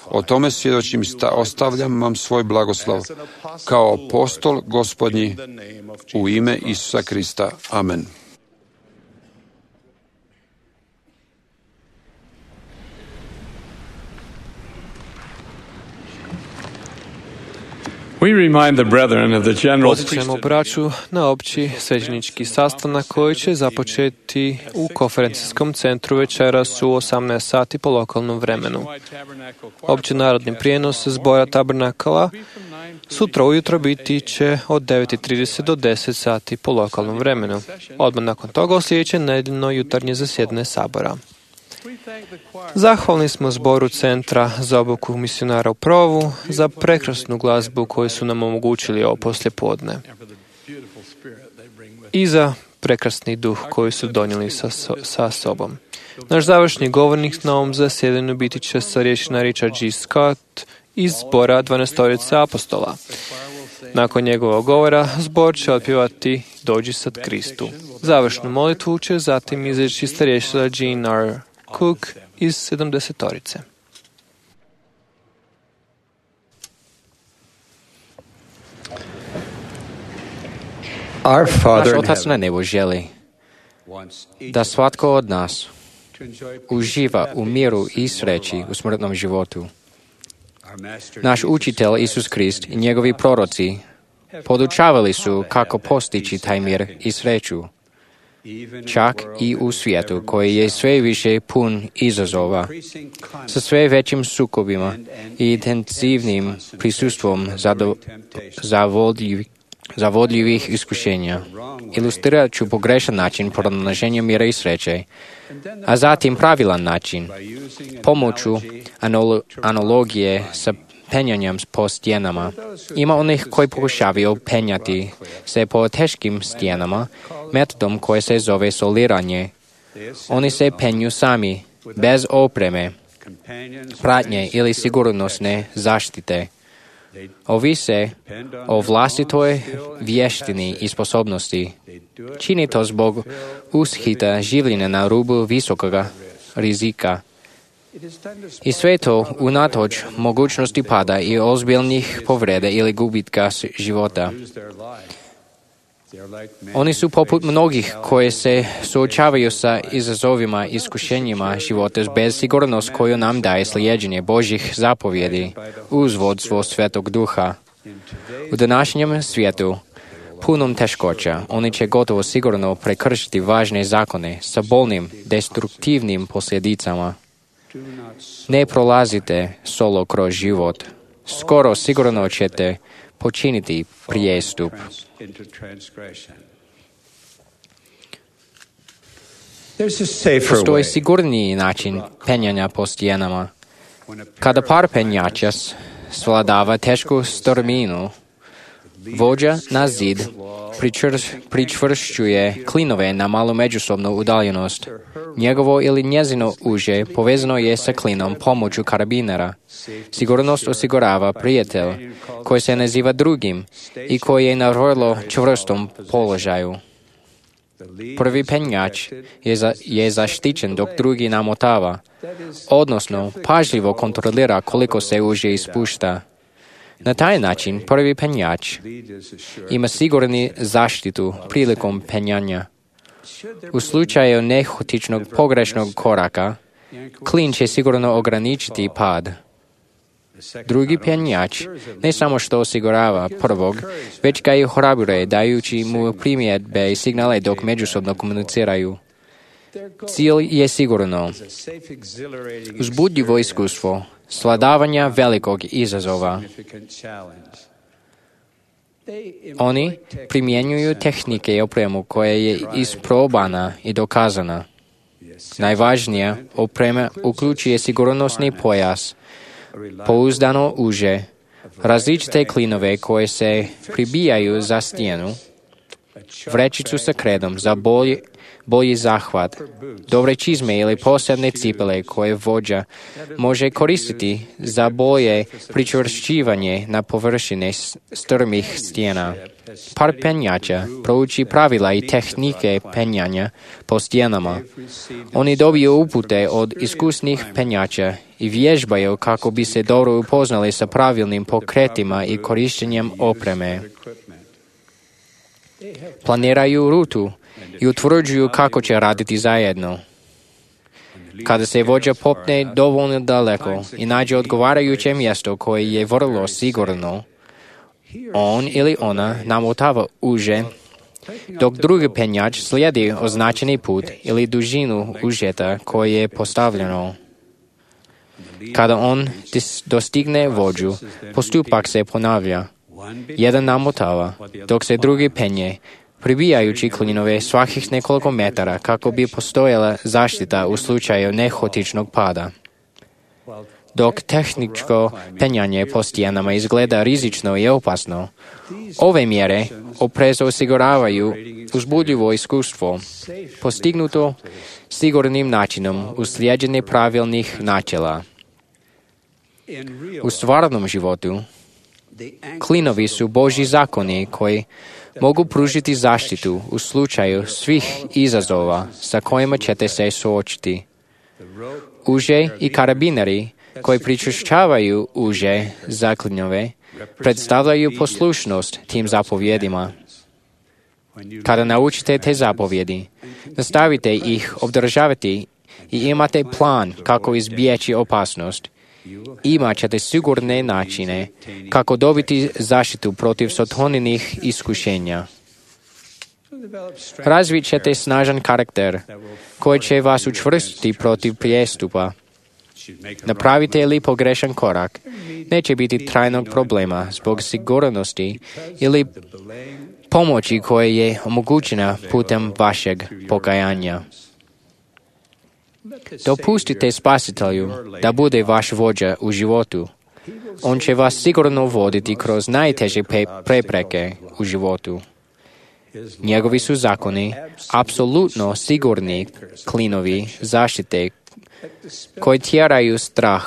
O tome svjedočim i ostavljam vam svoj blagoslov kao apostol Gospodnji u ime Isusa Krista. Amen.
Podsjećamo braću na opći svećenički sastanak koji će započeti u konferencijskom centru večeras u osamnaest sati po lokalnom vremenu. Opći narodni prijenos zbora tabernakala sutra ujutro biti će od devet i trideset do deset sati po lokalnom vremenu. Odmah nakon toga sljedeće nedeljno jutarnje zasjedanje sabora. Zahvalni smo zboru Centra za obuku misionara u Provu za prekrasnu glazbu koju su nam omogućili ovo poslijepodne i za prekrasni duh koji su donijeli sa, sa sobom. Naš završni govornik na ovom zasjedanju biti će starješina Richard G. Scott iz zbora dvanaestorice apostola. Nakon njegovog govora zbor će otpjevati Dođi sad Kristu. Završnu molitvu će zatim izreći starješina Jean R. Cook iz sedamdesetorice.
Naš Otac na nebu želi da svatko od nas uživa u miru i sreći u smrtnom životu. Naš učitelj Isus Krist i njegovi proroci podučavali su kako postići taj mir i sreću, čak i u svijetu koji je sve više pun izazova, sa sve većim sukobima i intenzivnim prisustvom zavodljivih, zavodljivih iskušenja. Ilustrirat ću pogrešan način pronalaženja mira i sreće, a zatim pravilan način, pomoću analo- analogije sa penjanjem po stijenama. Ima onih koji pokušavaju penjati se po teškim stijenama metodom koje se zove soliranje. Oni se penju sami, bez opreme, pratnje ili sigurnosne zaštite. Ovise o vlastitoj vještini i sposobnosti. Čini to zbog ushita življenja na rubu visokoga rizika. I sve to unatoč mogućnosti pada i ozbiljnih povreda ili gubitka života. Oni su poput mnogih koji se suočavaju sa izazovima i iskušenjima života bez sigurnost koju nam daje slijeđenje Božjih zapovjedi uz vodstvo Svetog Duha. U današnjem svijetu, punom teškoća, oni će gotovo sigurno prekršiti važne zakone sa bolnim, destruktivnim posljedicama. Ne prolazite solo kroz život. Skoro sigurno ćete počiniti prijestup. Postoji sigurniji način penjanja po stijenama. Kada par penjača svladava tešku strminu, vođa na zid pričvršćuje klinove na malu međusobnu udaljenost. Njegovo ili njezino uže povezano je sa klinom pomoću karabinera. Sigurnost osigurava prijatelj koji se naziva drugim i koji je na vrlo čvrstom položaju. Prvi penjač je, za, je zaštićen dok drugi namotava, odnosno pažljivo kontrolira koliko se uže ispušta. Na taj način prvi penjač ima sigurni zaštitu prilikom penjanja. U slučaju nehotičnog pogrešnog koraka, klin će sigurno ograničiti pad. Drugi penjač ne samo što osigurava prvog, već ga i ohrabruje dajući mu primjedbe i signale dok međusobno komuniciraju. Cilj je sigurno uzbudljivo iskustvo svladavanja velikog izazova. Oni primjenjuju tehnike i opremu koja je isprobana i dokazana. Najvažnija oprema uključuje sigurnosni pojas, pouzdano uže, različite klinove koje se pribijaju za stijenu, vrećicu sa kredom za bolji, bolji zahvat, dobre čizme ili posebne cipele koje vođa može koristiti za bolje pričvršćivanje na površine strmih stijena. Par penjača prouči pravila i tehnike penjanja po stijenama. Oni dobiju upute od iskusnih penjača i vježbaju kako bi se dobro upoznali sa pravilnim pokretima i korištenjem opreme. Planiraju rutu i utvrđuju kako će raditi zajedno. Kada se vođa popne dovoljno daleko i nađe odgovarajuće mjesto koje je vrlo sigurno, on ili ona namotava uže, dok drugi penjač slijedi označeni put ili dužinu užeta koje je postavljeno. Kada on dostigne vođu, postupak se ponavlja. Jedan namotava, dok se drugi penje, pribijajući klinove svakih nekoliko metara kako bi postojala zaštita u slučaju nehotičnog pada. Dok tehničko penjanje po stijenama izgleda rizično i opasno, ove mjere oprezno osiguravaju uzbudljivo iskustvo, postignuto sigurnim načinom uz slijeđenje pravilnih načela. U stvarnom životu, klinovi su Božji zakoni koji mogu pružiti zaštitu u slučaju svih izazova sa kojima ćete se suočiti. Uže i karabineri koji pričvršćavaju uže za klinove predstavljaju poslušnost tim zapovjedima. Kada naučite te zapovjedi, nastavite ih obdržavati i imate plan kako izbjeći opasnost. Imat ćete sigurne načine kako dobiti zaštitu protiv sotoninih iskušenja. Razvit ćete snažan karakter koji će vas učvrstiti protiv prijestupa. Napravite li pogrešan korak, neće biti trajnog problema zbog sigurnosti ili pomoći koja je omogućena putem vašeg pokajanja. Dopustite Spasitelju da bude vaš vođa u životu. On će vas sigurno voditi kroz najteže prepreke u životu. Njegovi su zakoni apsolutno sigurni klinovi zaštite koji tjeraju strah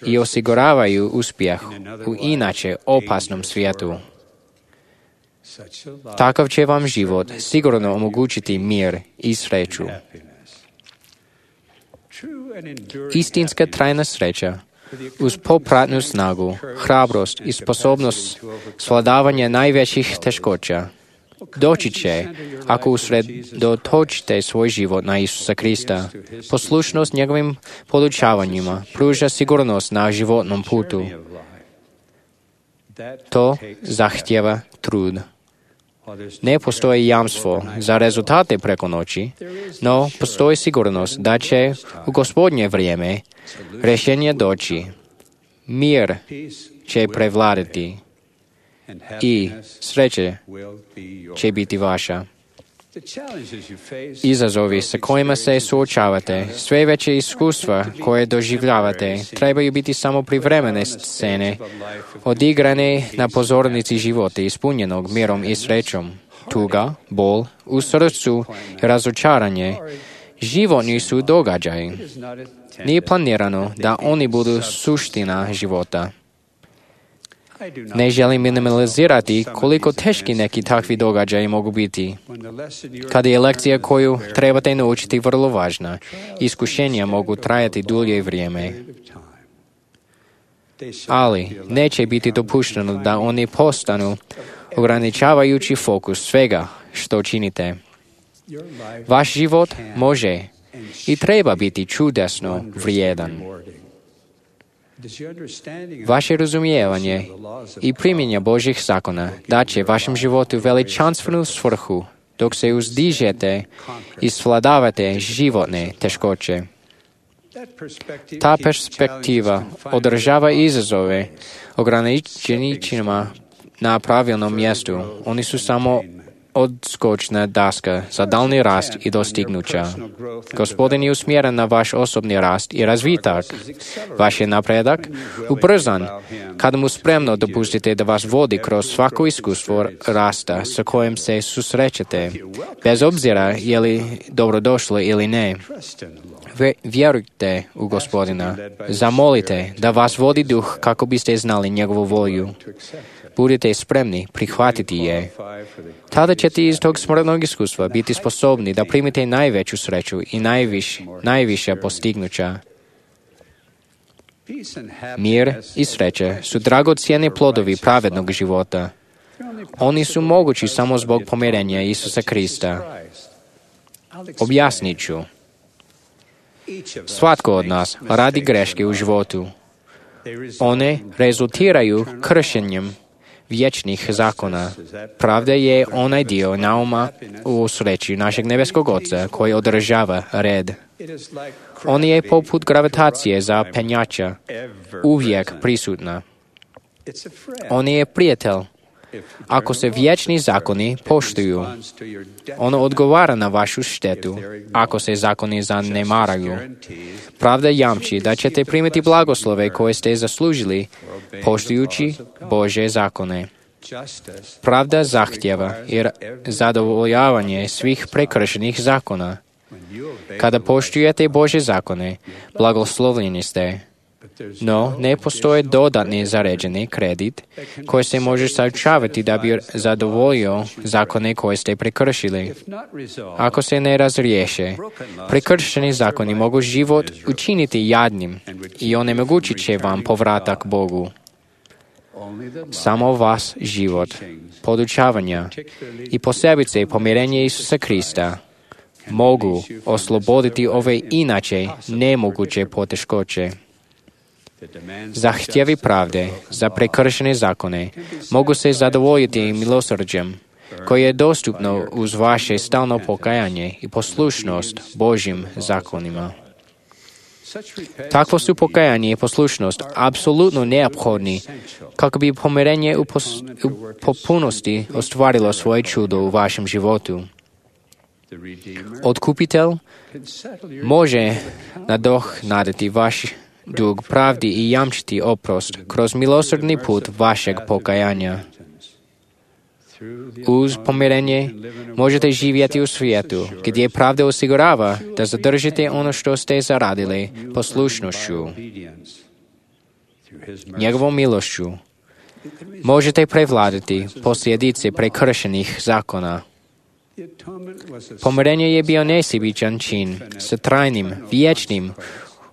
i osiguravaju uspjeh u inače opasnom svijetu. Takav će vam život sigurno omogućiti mir i sreću. Istinska trajna sreća uz popratnu snagu, hrabrost i sposobnost svladavanja najvećih teškoća Doći će ako usredotočite svoj život na Isusa Krista. Poslušnost njegovim podučavanjima pruža sigurnost na životnom putu. To zahtjeva trud. Ne postoji jamstvo za rezultate preko noći, no postoji sigurnost da će u Gospodnje vrijeme rješenje doći. Mir će prevladati i sreće će biti vaša. Izazovi sa kojima se suočavate, sve veće iskustva koje doživljavate, trebaju biti samo privremene scene, odigrane na pozornici života ispunjenog mirom i srećom. Tuga, bol, u srcu i razočaranje, životni su događaji. Nije planirano da oni budu suština života. Ne želim minimalizirati koliko teški neki takvi događaji mogu biti. Kada je lekcija koju trebate naučiti vrlo važna, iskušenja mogu trajati dulje vrijeme. Ali neće biti dopušteno da oni postanu ograničavajući fokus svega što činite. Vaš život može i treba biti čudesno vrijedan. Vaše razumijevanje i primjenja Božjih zakona daće vašem životu veličanstvenu svrhu dok se uzdižete i svladavate životne teškoće. Ta perspektiva održava izazove ograničenjima na pravilnom mjestu. Oni su samo odskočna daska za daljnji rast i dostignuća. Gospodin je usmjeren na vaš osobni rast i razvitak. Vaš je napredak ubrzan kada mu spremno dopustite da vas vodi kroz svako iskustvo rasta sa kojim se susrećete, bez obzira je li dobrodošlo ili ne. Vjerujte u Gospodina. Zamolite da vas vodi duh kako biste znali njegovu volju. Budite spremni prihvatiti je. Tada ćete iz tog smrtnog iskustva biti sposobni da primite najveću sreću i najviš, najviše postignuća. Mir i sreće su dragocjeni plodovi pravednog života. Oni su mogući samo zbog pomirenja Isusa Krista. Objasnit ću. Svatko od nas radi greške u životu. One rezultiraju kršenjem vječnih zakona. Pravda je onaj dio nauma u sreći našeg nebeskog Oca koji održava red. On je poput gravitacije za penjača, uvijek prisutna. On je prijatelj. Ako se vječni zakoni poštuju, ono odgovara na vašu štetu ako se zakoni zanemaraju. Pravda jamči da ćete primiti blagoslove koje ste zaslužili poštujući Božje zakone. Pravda zahtjeva i zadovoljavanje svih prekršenih zakona. Kada poštujete Božje zakone, blagoslovljeni ste. No, ne postoje dodatni zaređeni kredit koji se može sačuvati da bi zadovoljio zakone koje ste prekršili. Ako se ne razriješe, prekršeni zakoni mogu život učiniti jadnim i onemogućit će vam povratak Bogu. Samo vas život, podučavanja i posebice pomirenje Isusa Krista mogu osloboditi ove inače nemoguće poteškoće. Zahtjevi pravde za prekršene zakone mogu se zadovoljiti milosrđem koje je dostupno uz vaše stalno pokajanje i poslušnost Božjim zakonima. Takvo su pokajanje i poslušnost apsolutno neophodni kako bi pomirenje u, pos, u popunosti ostvarilo svoje čudo u vašem životu. Otkupitelj može nadoknaditi vaš dug pravdi i jamčiti oprost kroz milosrdni put vašeg pokajanja. Uz pomirenje možete živjeti u svijetu gdje pravda osigurava da zadržite ono što ste zaradili poslušnošću. Njegovom milošću možete prevladati posljedice prekršenih zakona. Pomirenje je bio nesebičan čin sa trajnim, vječnim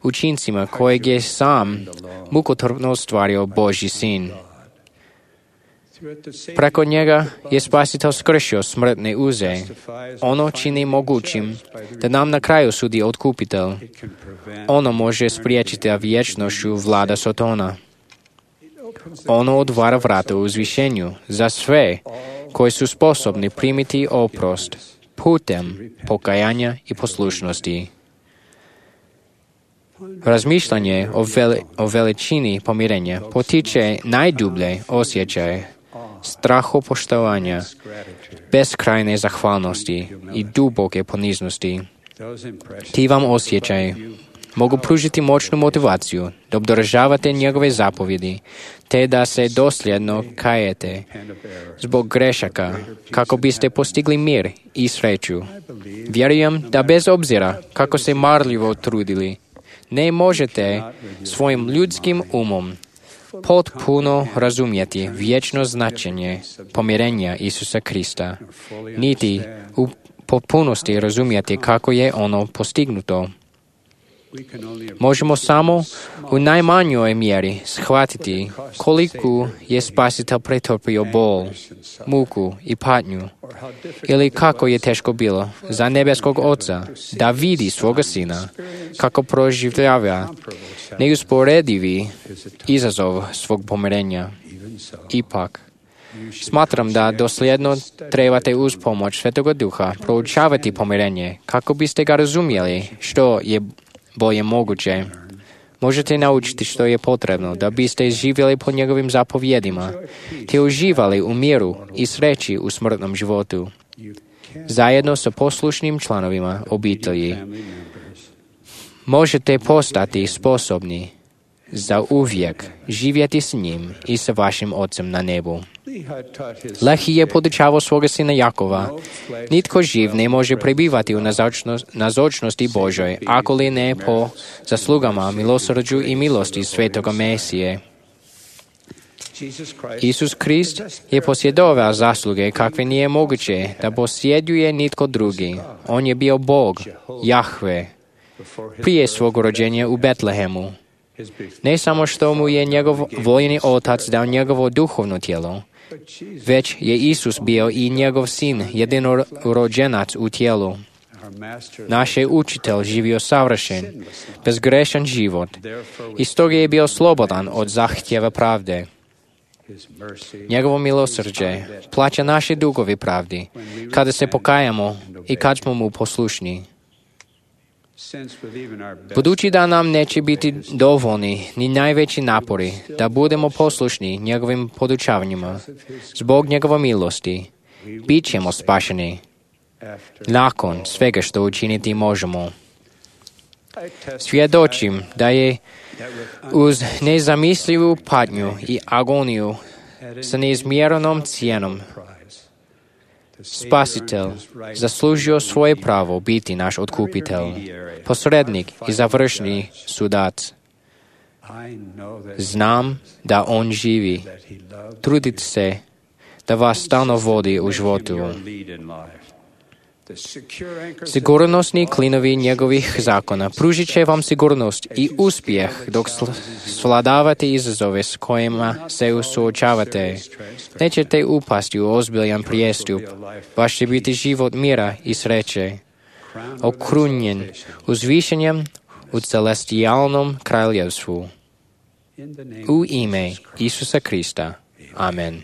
učincima kojeg je sam mukotrpno ostvario Božji sin. Preko njega je Spasitelj skršio smrtne uze. Ono čini mogućim da nam na kraju sudi Otkupitelj. Ono može spriječiti vječnošću vlada Sotona. Ono otvara vrata u uzvišenju za sve koji su sposobni primiti oprost putem pokajanja i poslušnosti. Razmišljanje o, veli, o veličini pomirenja potiče najdublje osjećaje strahopoštovanja, beskrajne zahvalnosti i duboke poniznosti. Ti vam osjećaj mogu pružiti moćnu motivaciju da obdržavate njegove zapovjedi, te da se dosljedno kajete zbog grešaka, kako biste postigli mir i sreću. Vjerujem da bez obzira kako se marljivo trudili, ne možete svojim ljudskim umom potpuno razumjeti vječno značenje pomirenja Isusa Krista, niti u potpunosti razumjeti kako je ono postignuto. Možemo samo u najmanjoj mjeri shvatiti koliko je Spasitelj pretrpio bol, muku i patnju, ili kako je teško bilo za nebeskog Oca da vidi svoga Sina kako proživljava neusporedivi izazov svog pomirenja. Ipak, smatram da dosljedno trebate uz pomoć Svetoga Duha proučavati pomirenje kako biste ga razumjeli što je bolje moguće. Možete naučiti što je potrebno da biste živjeli po njegovim zapovjedima, te uživali u miru i sreći u smrtnom životu, zajedno sa poslušnim članovima obitelji. Možete postati sposobni za uvijek živjeti s njim i sa vašim Ocem na nebu. Lehi je podučavao svoga sina Jakova: nitko živ ne može prebivati u nazočnosti Božoj, ako li ne po zaslugama, milosrđu i milosti Svetoga Mesije. Isus Krist je posjedovao zasluge kakve nije moguće da posjeduje nitko drugi. On je bio Bog, Jahve, prije svog rođenja u Betlehemu. Ne samo što mu je njegov voljeni Otac dao njegovo duhovno tijelo, već je Isus bio i njegov sin, jedinorođenac u tijelu. Naš je učitelj živio savršen, bezgrešan život i stoga je bio slobodan od zahtjeva pravde. Njegovo milosrđe plaća naše dugove pravdi kada se pokajamo i kad smo mu poslušni. Budući da nam neće biti dovoljni ni najveći napori da budemo poslušni njegovim podučavanjima, zbog njegove milosti, bit ćemo spašeni nakon svega što učiniti možemo. Svjedočim da je uz nezamislivu patnju i agoniju sa neizmjerenom cijenom Spasitelj zaslužio svoje pravo biti naš otkupitelj, posrednik i završni sudac. Znam da on živi. Trudite se da vas stalno vodi u životu. Sigurnosni klinovi njegovih zakona pružit će vam sigurnost i uspjeh dok svladavate izazove s kojima se suočavate. Nećete upasti u ozbiljan prijestup. Vaš će biti život mira i sreće, okrunjen uzvišenjem u celestijalnom kraljevstvu. U ime Isusa Krista. Amen.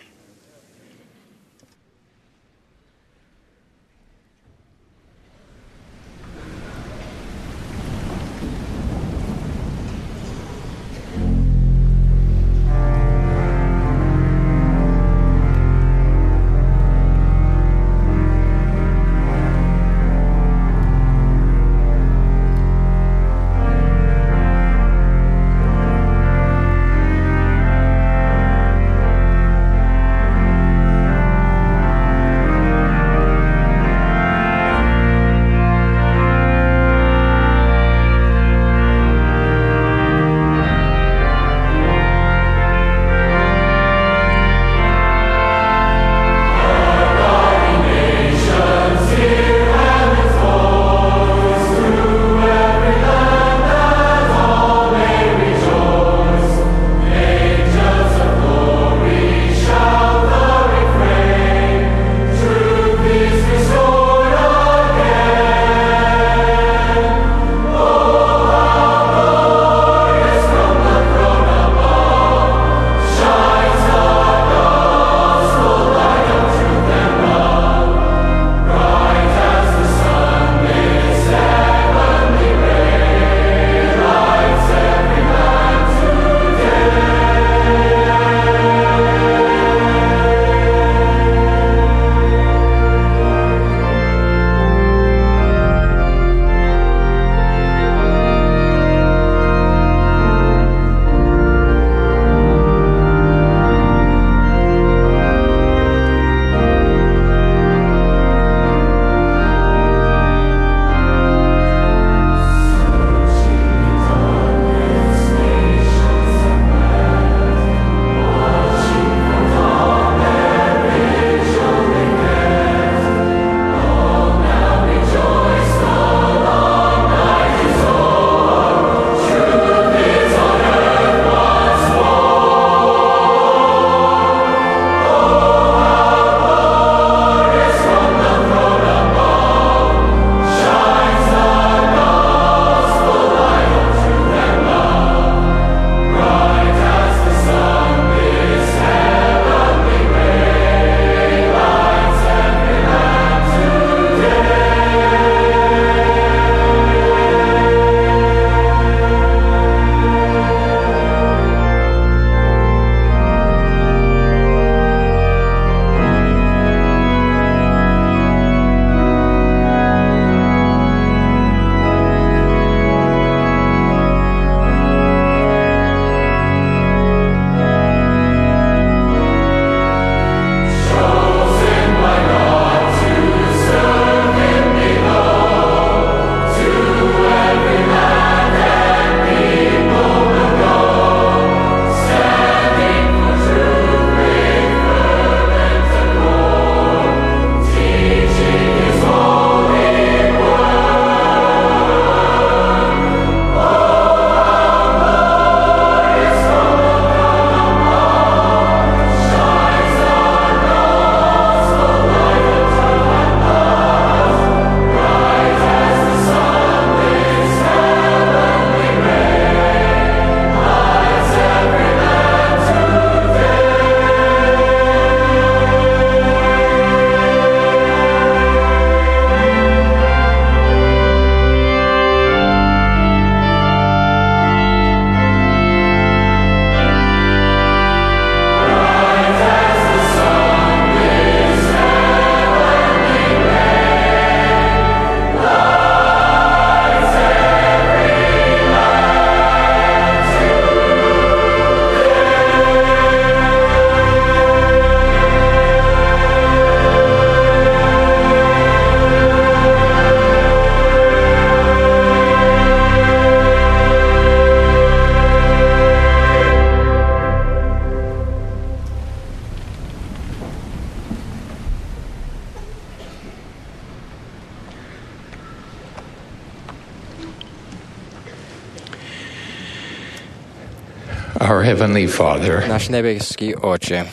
Our Heavenly Father,
Naš nebeski Oče,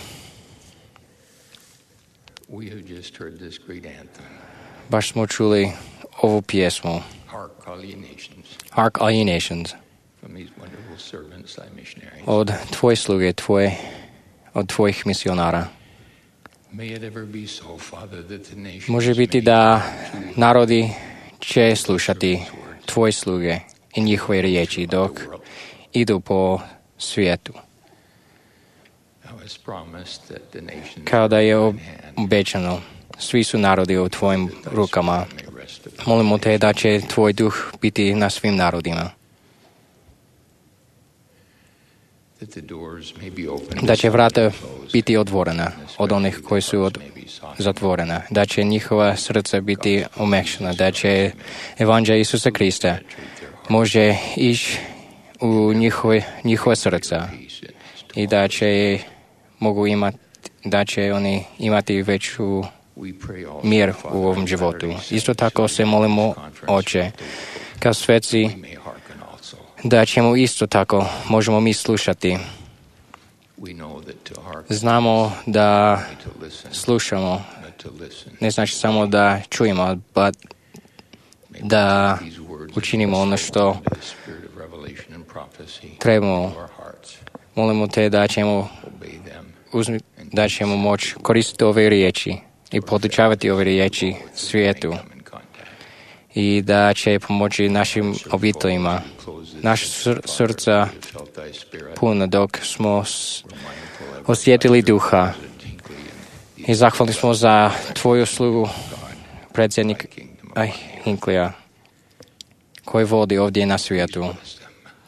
we have just heard this great anthem.
Baš smo čuli ovu pjesmu,
Hark, all ye nations,
Hark All Ye Nations,
from these wonderful servants, thy missionaries.
od tvoje sluge, tvoje, od tvojih misionara.
May it ever be so, Father, that the nations
Može biti da narodi će slušati tvoje sluge i njihove riječi dok idu po svijetu.
Thou hast promised that the nations
Kao da je obećano, svi su narodi u tvojim rukama. Molimo te da će tvoj duh biti na svim narodima.
that the doors may be opened,
Da će vrata biti otvorena od onih koji su od, zatvorena. Da će njihova srca biti omekšana. Da će evanđelje Isusa Krista može ići u njihove, njihova srca. I da će mogu imati, da će oni imati veću mir u ovom životu. Isto tako se molimo, Oče, kao sveci, da ćemo isto tako, možemo mi slušati. Znamo da slušamo, ne znači samo da čujemo, but da učinimo ono što trebamo. Molimo te da ćemo, uzmi, da ćemo moći koristiti ove riječi i podučavati ove riječi svijetu i da će pomoći našim obiteljima. Naš sr- srca puno dok smo s- osjetili duha i zahvalni smo za tvoju slugu predsjednik aj, Hinklija koji vodi ovdje na svijetu.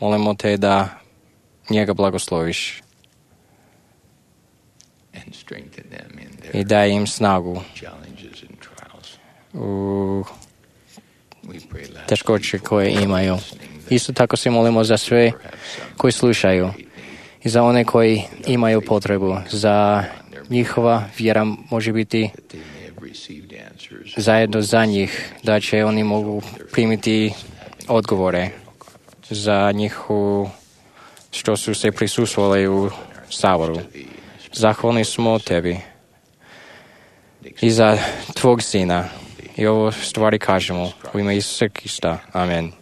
Molimo te da njega blagosloviš i daj im snagu u teškoće koje imaju. Isto tako se molimo za sve koji slušaju i za one koji imaju potrebu. Za njihova vjera može biti zajedno za njih, da će oni mogu primiti odgovore za njihovu što su se prisustvovali u Saboru. Zahvalni smo tebi i za tvog sina. I ovo stvari kažemo u ime Isusa Krista. Amen.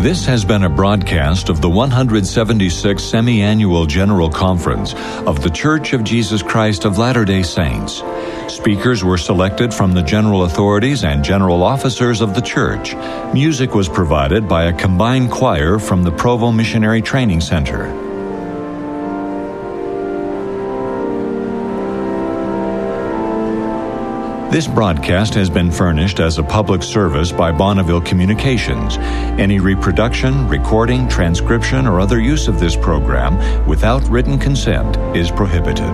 This has been a broadcast of the one hundred seventy-sixth Semi-Annual General Conference of The Church of Jesus Christ of Latter-day Saints. Speakers were selected from the general authorities and general officers of the church. Music was provided by a combined choir from the Provo Missionary Training Center. This broadcast has been furnished as a public service by Bonneville Communications. Any reproduction, recording, transcription, or other use of this program without written consent is prohibited.